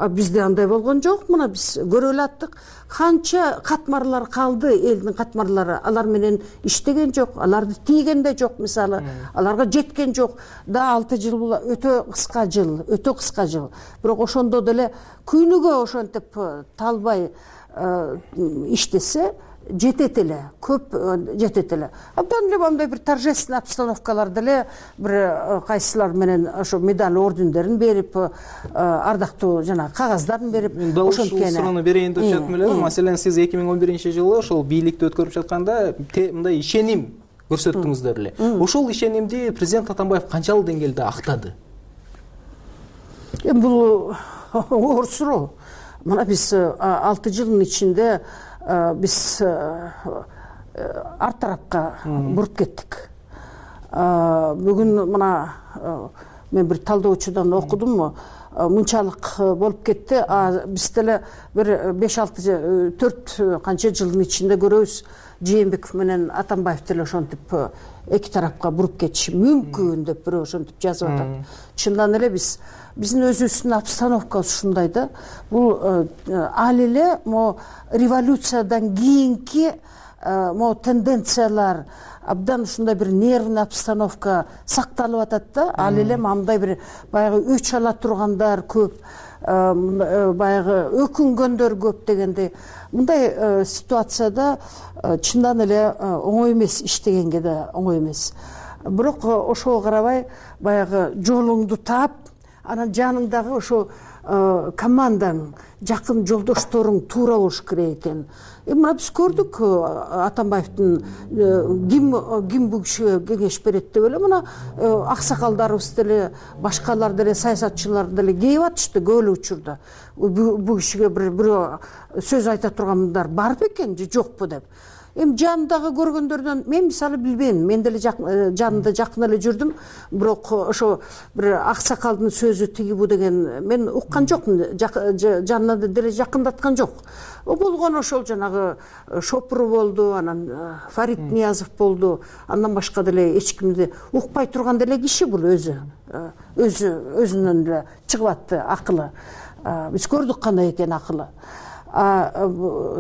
Бизде андай болгон жок, мына биз көрө элаттык. Канча катмарлар калды, элдин катмарлары, алар менен иштеген жок, аларды тийген да жок, мисалы, аларга жеткен жок. Да 6 жыл бул өтө кыска жыл, бирок ошондо деле күнүгө ошентип талбай иштесе жетет эле, көп жетет эле. Абдан эле мындай бир торжественный обстановкалар деле бир кайсылар менен ошо медаль ордендерин берип, ардактуу жана кагаздарын берип, ошонткени суроону берейин деп жатам эле. Маселен, сиз 2011-жылы ошол бийликти өткөрүп жатканда мындай ишеним көрсөттүңүздөр эле. Ошол ишенимди президент Атамбаев канчалык деңгээлде актады? Бул оор суроо. Мына биз 6 жылдын ичинде биз арт тарапка буруп кеттик. Бүгүн мына мен бир талдоочудан окудум, мынчалык болуп кетти. Биз деле бир 5-6-4 канча жылдын ичинде көрөбүз, Жээнбеков менен Атамбаев деле ошентип эки тарапка буруп кетиши мүмкүн деп бирөө ошентип жазып атат. Чындан эле биздин өзүбүздүн обстановкабыз ушундай да. Бул ал эле могу революциядан кийинки могу тенденциялар, абдан ушундай бир нервный обстановка сакталып атат да. Ал эле мындай бир баягы өч ала тургандар көп, баягы өкүнгөндөр көп дегендей. Мындай ситуацияда чындан эле оңой эмес, иштегенге да оңой эмес. Бирок ошого карабай баягы жолуңду таап, анан жаныңдагы ошо командаң, жакын жолдошторуң туура болуш керек экен. Мына биз көрдүк, Атамбаевдин ким бул кишиге кеңеш берет деп эле мына аксакалдарыбыз деле, башкалар деле, саясатчылар деле кейип атышты көп эле учурда. Бул кишиге бирөө сөз айта тургандар бар бекен же жокпу деп. Жанындагы көргөндөрдөн мен мисалы билбейм. Мен деле жанында жакын эле жүрдүм, бирок ошо бир аксакалдын сөзү тиги бу деген мен уккан жокмун, жанына деле жакындаткан жок. Болгон ошол жанагы Шопуру болду, анан Фарид Ниязов болду, андан башка деле эч кимди укпай турган деле киши бул өзүнөн эле чыгып атты акылы. Биз көрдүк кандай экен акылы.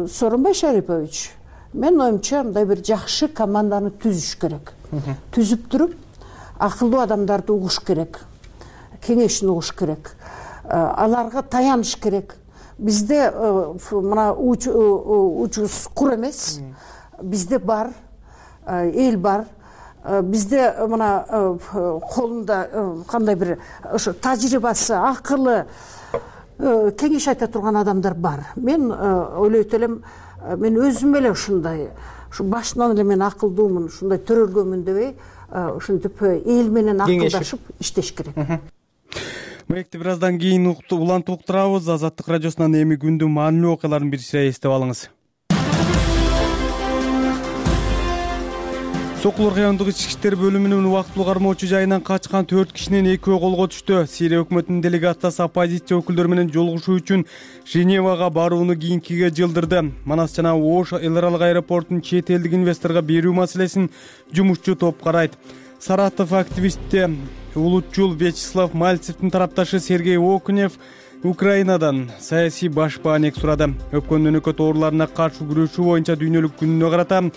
Сооронбай Шарипович, мен оюмча мындай бир жакшы команданы түзүш керек. Түзүп туруп, акылдуу адамдарды угуш керек, кеңешин угуш керек, аларга таяныш керек. Бизде мына учубуз кур эмес, бизде бар, эл бар. Бизде мына колунда кандай бир ошо тажрыйбасы, акылы, кеңеш айта турган адамдар бар. Мен ойлойт элем, мен өзүм эле ушундай, ушу башынан эле мен акылдуумун, ушундай төрөлгөнмүн дебей, ушинтип эл менен акылдашып иштеш керек. Маекти бир аздан кийин улантып уктурабыз. Азаттык радиосунан эми күндүн маанилүү окуяларын бир сыйра эстеп алыңыз. Сокулук райондук ички иштер бөлүмүнүн убактылуу кармоочу жайынан качкан 4 кишинин экөө колго түштү. Сирия өкмөтүнүн делегациясы оппозиция өкүлдөрү менен жолугушуу үчүн Женевага барууну кийинкиге жылдырды. Манас жана Ош эл аралык аэропортун чет элдик инвесторго берүү маселесин жумушчу топ карайт. Саратов активисти улутчул Вячеслав Мальцевдин тарапташы Сергей Окунев Украинадан саясий баш баанек сурады. Өпкөн өнөкөт ооруларына каршы күрөшүү боюнча дүйнөлүк күнүнө карата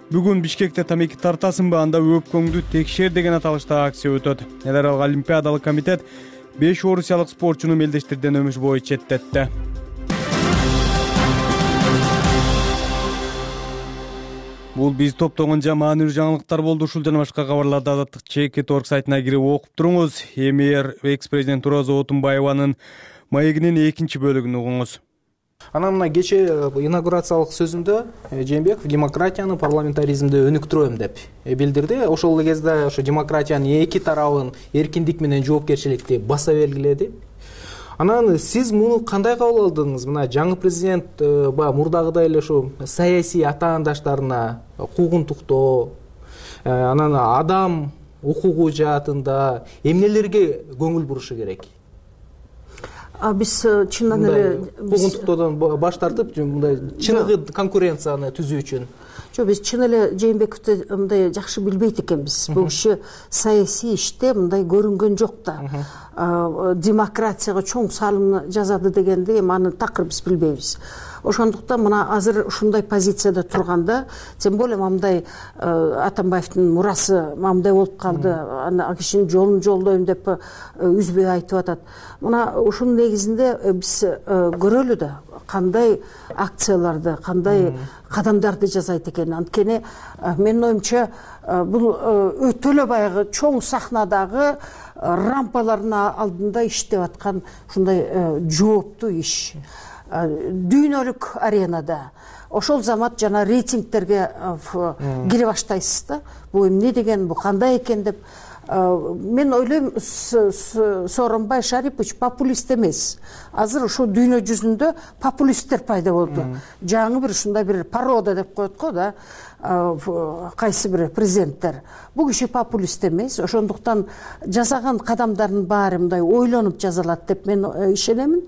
бүгүн Бишкекте тамеки тартасыңбы, анда өпкөңдү текшер деген аталышта акция өтөт. Эл аралык олимпиадалык комитет 5 орусиялык спортчуну мелдештирден өмүш бою четтетти. Бул биз топтогон маанилүү жаңылыктар болду. Ушул жана башка кабарларды Азаттык ЧК.org сайтына кирип окуп туруңуз. Эмир экс-президент Роза Отунбаеванын маегинин 2 бөлүгүн угуңуз. Анан мына кече инаугурациялык сөзүндө Жээнбеков демократияны, парламентаризмди өнүктүрөм деп билдирди. Ошол кезде ошо демократиянын эки тарабын эркиндик менен жоопкерчиликти баса белгиледи. Анан сиз муну кандай кабыл алдыңыз? Мына жаңы президент мурдагыдай эле ошо саясий атаандаштарына куугунтуктоо, анан адам окугу жаатында эмнелерге көңүл бурушу керек? Биз чындан эле куугунтуктоодон баш тартып, мындай чыныгы конкуренцияны түзүү үчүн. Жок, биз чын эле Жээнбековду мындай жакшы билбейт экенбиз. Бул киши саясий иште мындай көрүнгөн жок да. Демократияга чоң салым жазады дегенди эми аны такыр биз билбейбиз. Ошондуктан мына азыр ушундай позицияда турганда, тем более мындай Атамбаевдин мурасы мындай болуп калды, аны кишинин жолун жолдойм деп үзбөй айтып атат. Мына ушунун негизинде биз көрөлү да, кандай акцияларды, кандай кадамдарды жасайт экен. Анткени менин оюмча бул өтө эле баягы чоң сахнадагы рампалардын алдында иштеп аткан ушундай жооптуу иш. Дүйнөлүк аренада ошол замат жана рейтингтерге кире баштайсыз да. Бул эмне деген, бул кандай экен деп. Мен ойлойм, Сооронбай Шарипович популист эмес. Азыр ушул дүйнө жүзүндө популисттер пайда болду. Жаңы бир ушундай бир порода деп коет го да, кайсы бир президенттер. Бул киши популист эмес. Ошондуктан жасаган кадамдардын баары мындай ойлонуп жазалат деп мен ишенемин.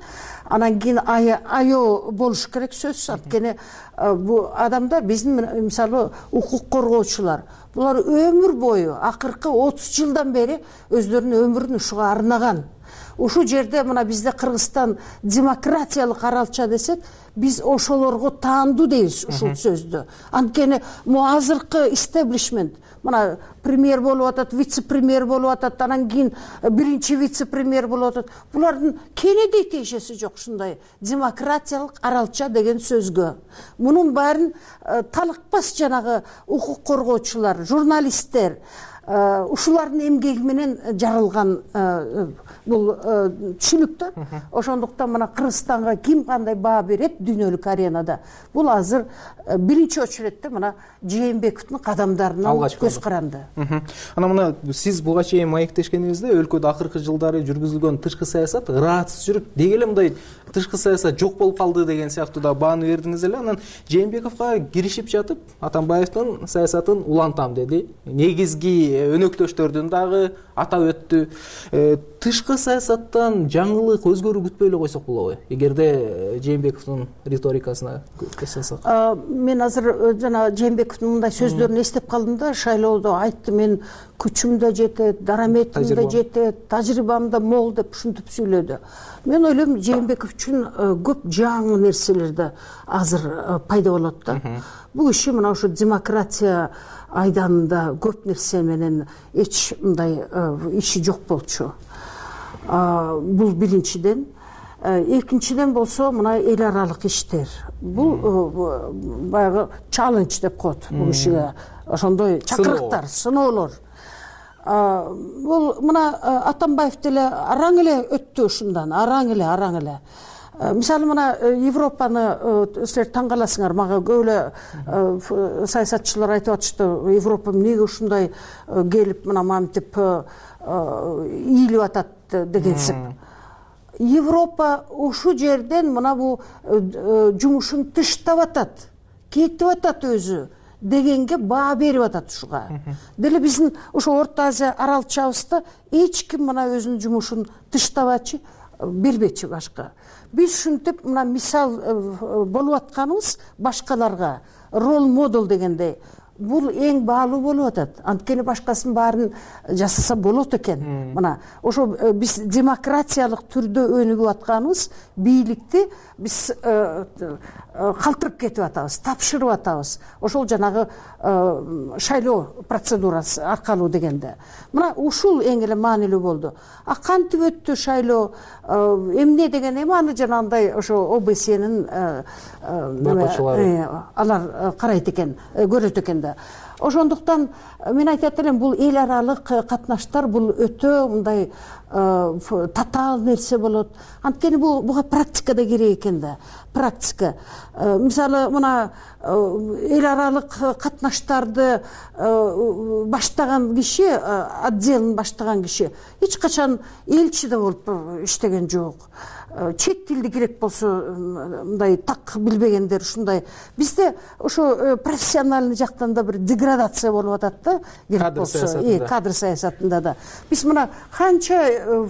Анан кийин аё болуш керек сөзсүз. Анткени бул адамдар биздин мисалы укук коргоочулар, булар өмүр бою акыркы 30 жылдан бери өздөрүнүн өмүрүн ушуга арнаган. Ушул жерде мына бизде Кыргызстан демократиялык аралча десек, биз ошолорго таандуу дейбиз ушул сөздү. Анткени азыркы истеблишмент, мына премьер болуп атат, вице-премьер болуп атат, анан кийин биринчи вице-премьер болуп атат. Булардын кенедей тиешеси жок ушундай демократиялык аралча деген сөзгө. Мунун баарын талыкпас жанагы укук коргоочулар, журналисттер, ушулардын эмгеги менен жарылган бул түшүнүктөр. Ошондуктан мына Кыргызстанга ким кандай баа берет дүйнөлүк аренада? Бул азыр биринчи очередде мына Жээнбековдун кадамдарына көз каранды. Анан мына сиз буга чейин маектешкенибизде өлкөдө акыркы жылдары жүргүзүлгөн тышкы саясат ыраатсыз жүрүп, деги эле мындай тышкы саясат жок болуп калды деген сыяктуу да бааны бердиңиз эле. Анан Жээнбековго киришип жатып, Атамбаевдин саясатын улантам деди. Негизги өнөктөштөрдүн дагы атап өттү. Тышкы саясаттан жаңылык, өзгөрүү күтпөй эле койсок болобу? Эгерде Жээнбековдун риторикасына көз салсак. Мен азыр жана Жээнбековдун мындай сөздөрүн эстеп калдым да, шайлоодо айтты, мен күчүм да жетет, дараметим да жетет, тажрыйбам да мол деп ушинтип сүйлөдү. Мен ойлойм, Жээнбеков үчүн көп жаңы нерселерди азыр пайда болот да. Бул иши мына ушу демократия айданында көп нерсе менен эч мындай иши жок болчу. Бул биринчиден. Экинчиден болсо мына эл аралык иштер. Бул баягы чаллендж деп коет бул ишиге. Ошондой чакырыктар, сыноолор. Бул мына Атамбаев деле араң эле өттү ушундан, араң эле. Мисалы мына Европаны силер таң каласыңар, мага көп эле саясатчылар айтып атышты, Европа эмнеге ушундай келип мына мантип ийилип атат дегенсип. Европа ушул жерден мына бул жумушун тыштап атат, кетип атат өзү дегенге баа берип атат ушуга. Деле биздин ошо Орто Азия аралчабызда эч ким мына өзүнүн жумушун тыштабачы, бербечи башка. Биз ушинтип мына мисал болуп атканыбыз башкаларга, рол модел дегендей. Бул эң баалуу болуп атат. Анткени башкасын баарын жасаса болот экен. Мына ошо биз демократиялык түрдө өнүгүп атканыбыз бийликти биз калтырып кетип атабыз, тапшырып атабыз. Ошол жанагы шайлоо процедурасы аркылуу дегенде. Мына ушул эң эле маанилүү болду. Кантип өттү шайлоо, эмне деген эми аны жанагындай ошо ОБСнин алар карайт экен, көрөт экен да. Ошондуктан мен айтат элем, бул эл аралык катнаштар бул өтө мындай татаал нерсе болот. Анткени буга практика да керек экен да. Практика. Мисалы мына эл аралык катнаштарды баштаган киши, отделин баштаган киши эч качан элчи да болуп иштеген жок. Чет тилди керек болсо мындай так билбегендер ушундай. Бизде ошо профессиональный жактан да бир деградация болуп атат да, керек болсо кадр саясатында да. Биз мына канча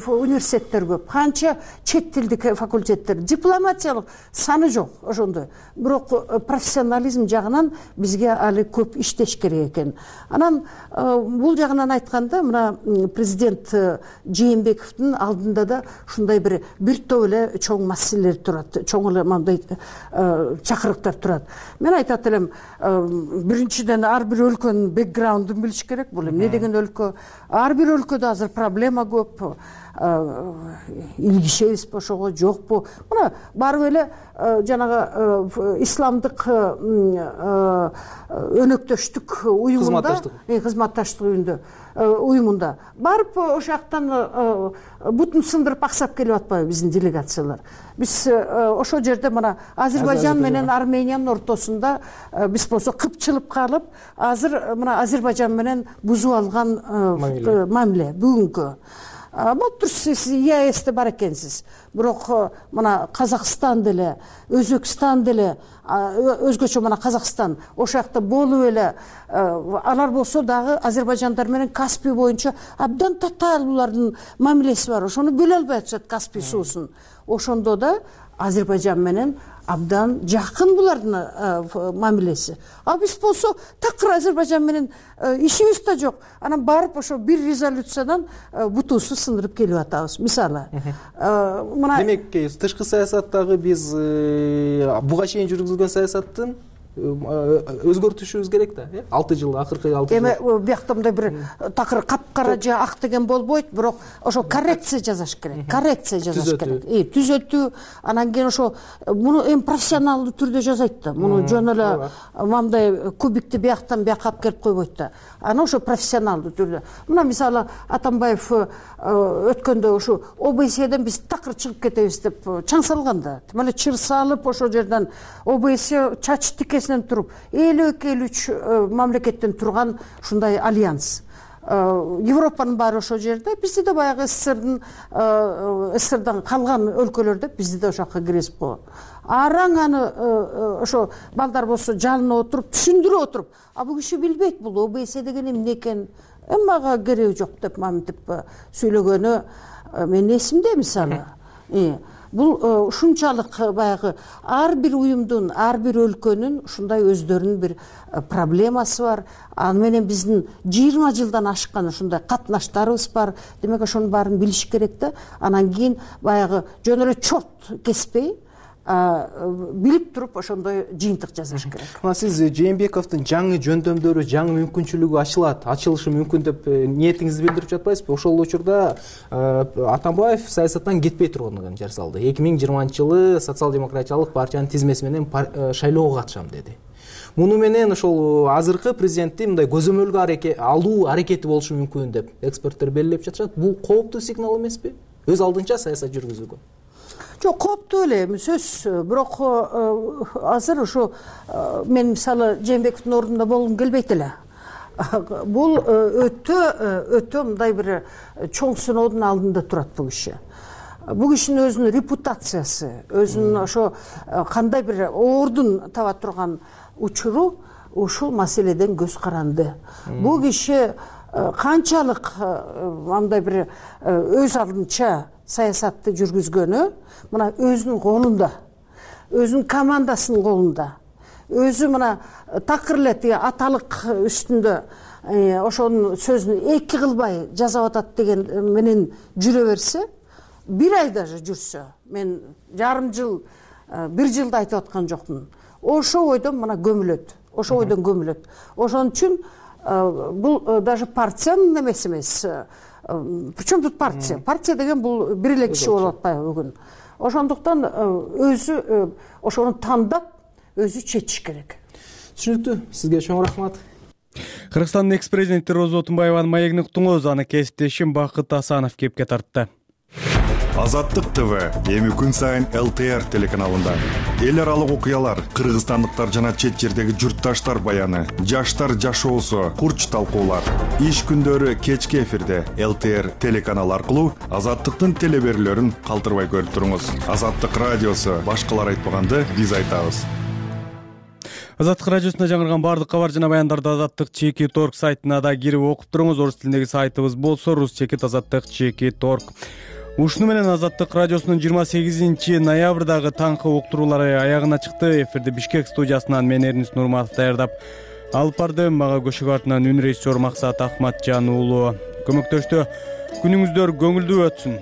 университеттер көп, канча чет тилдик факультеттер, дипломатиялык саны жок ошондой. Бирок профессионализм жагынан бизге али көп иштеш керек экен. Анан бул жагынан айтканда мына президент Жээнбековдун алдында да ушундай бир топ эле чоң маселелер турат, чоң эле мындай чакырыктар турат. Мен айтат элем, биринчиден ар бир өлкөнүн бэкграундун билиш керек. Бул эмне деген өлкө? Ар бир өлкөдө азыр проблема көп. Илгишебизби ошого, жокпу? Мына барып эле жанагы исламдык өнөктөштүк уюмунда, кызматташтык уюмунда барып ошол жактан бутун сындырып аксап келип атпайбы биздин делегациялар? Биз ошол жерде мына Азербайжан менен Армениянын ортосунда биз болсо кыпчылып калып, азыр мына Азербайжан менен бузуп алган мамиле бүгүнкү. Болуптур, сиз ЕАЭСте бар экенсиз. Бирок мына Казакстан деле, Өзбекстан деле, өзгөчө мына Казакстан ошол жакта болуп эле, алар болсо дагы Азербайжандар менен Каспий боюнча абдан татаал булардын мамилеси бар. Ошону бөлө албай атышат Каспий суусун. Ошондо да Азербайжан менен абдан жакын булардын мамилеси. А биз болсо такыр Азербайжан менен ишибиз да жок. Анан барып ошо бир резолюциядан бутубузду сындырып келип атабыз. Мисалы, мына демек тышкы саясаттагы биз буга чейин жүргүзүлгөн саясаттын өзгөртүшүбүз керек да, 6 жыл, акыркы 6 жыл. Эми биякта мындай бир такыр капкара же ак деген болбойт, бирок ошо коррекция жасаш керек. Коррекция жасаш керек. Түзөтүү, анан кийин ошо муну эми профессионалдуу түрдө жасайт да. Муну жөн эле мындай кубикти бияктан бияка алып келип койбойт да. Аны ошо профессионалдуу түрдө. Мына мисалы Атамбаев өткөндө ошо ОБСЕден биз такыр чыгып кетебиз деп чаң салганда, тим эле чыр салып ошол жерден ОБСЕ чач тикесинен туруп 52-53 мамлекеттен турган ушундай альянс. Европанын баары ошол жерде, бизди да баягы СССРдан калган өлкөлөрдө бизди да ошол жака киргизип койгон. Араң аны ошо балдар болсо жанына отуруп, түшүндүрүп отуруп, а бул киши билбейт бул ОБСЕ деген эмне экен, мага кереги жок деп маминтип сүйлөгөнү менин эсимде мисалы. Бул ушунчалык баягы ар бир уюмдун, ар бир өлкөнүн ушундай өздөрүнүн бир проблемасы бар. Аны менен биздин 20 жылдан ашкан ушундай катнаштарыбыз бар. Демек ошонун баарын билиш керек да. Анан кийин баягы жөн эле чорт кеспей билип туруп ошондой жыйынтык жасаш керек. Мына сиз Жээнбековдун жаңы жөндөмдөрү, жаңы мүмкүнчүлүгү ачылышы мүмкүн деп ниетиңизди билдирип жатпайсызбы? Ошол учурда Атамбаев саясаттан кетпей турганын жар салды. 2020-жылы социал-демократиялык партиянын тизмеси менен шайлоого катышам деди. Муну менен ошол азыркы президентти мындай көзөмөлгө алуу аракети болушу мүмкүн деп эксперттер белгилеп жатышат. Бул кооптуу сигнал эмеспи? Өз алдынча саясат жүргүзүүгө. Жок, кооптуу эле сөз. Бирок азыр ошо мен мисалы Жээнбековдун ордунда болгум келбейт эле. Бул өтө мындай бир чоң сыноодун алдында турат бул киши. Бул кишинин өзүнүн репутациясы, өзүнүн ошо кандай бир ордун таба турган учуру ушул маселеден көз каранды. Бул киши канчалык мындай бир өз алдынча саясатты жүргүзгөнү мына өзүнүн колунда, өзүнүн командасынын колунда, өзү мына такыр эле аталык үстүндө ошонун сөзүн эки кылбай жасап атат деген менен жүрө берсе, бир ай даже жүрсө, мен жарым жыл, бир жылды айтып аткан жокмун. Ошол ойдон мына көмүлөт, ошол ойдон көмүлөт. Ошон үчүн бул даже партиянын эмеси эмес. Причем тут партия? Партия деген бул бир эле киши болуп атпайбы бүгүн. Ошондуктан өзү ошону тандап, өзү чечиш керек. Түшүнүктүү. Сизге чоң рахмат. Кыргызстандын экс-президенти Роза Отунбаеванын маегин уктуңуз, аны кесиптешим Бакыт Асанов кепке тартты. Азаттык ТВ эми күн сайын ЛТР телеканалында. Эл аралык окуялар, кыргызстандыктар жана чет жердеги журтташтар баяны, жаштар жашоосу, курч талкуулар. Иш күндөрү кечки эфирде ЛТР телеканалы аркылуу Азаттыктын телеберүүлөрүн калтырбай көрүп туруңуз. Азаттык радиосу башкалар айтпаганды биз айтабыз. Азаттык радиосунда жаңырган баардык кабар жана баяндарды Азаттык Чекит Орг сайтына да кирип окуп туруңуз. Орус тилиндеги сайтыбыз болсо Рус-Чекит Азаттык Чекит Орг. Ушуну менен Азаттык радиосунун 28 ноябрдагы таңкы уктуруулары аягына чыкты. Эфирди Бишкек студиясынан мен Эрнис Нурматов даярдап алып бардым. Мага көшөгө артынан үн режиссер Максат Ахматжан уулу көмөктөштү. Күнүңүздөр көңүлдүү өтсүн.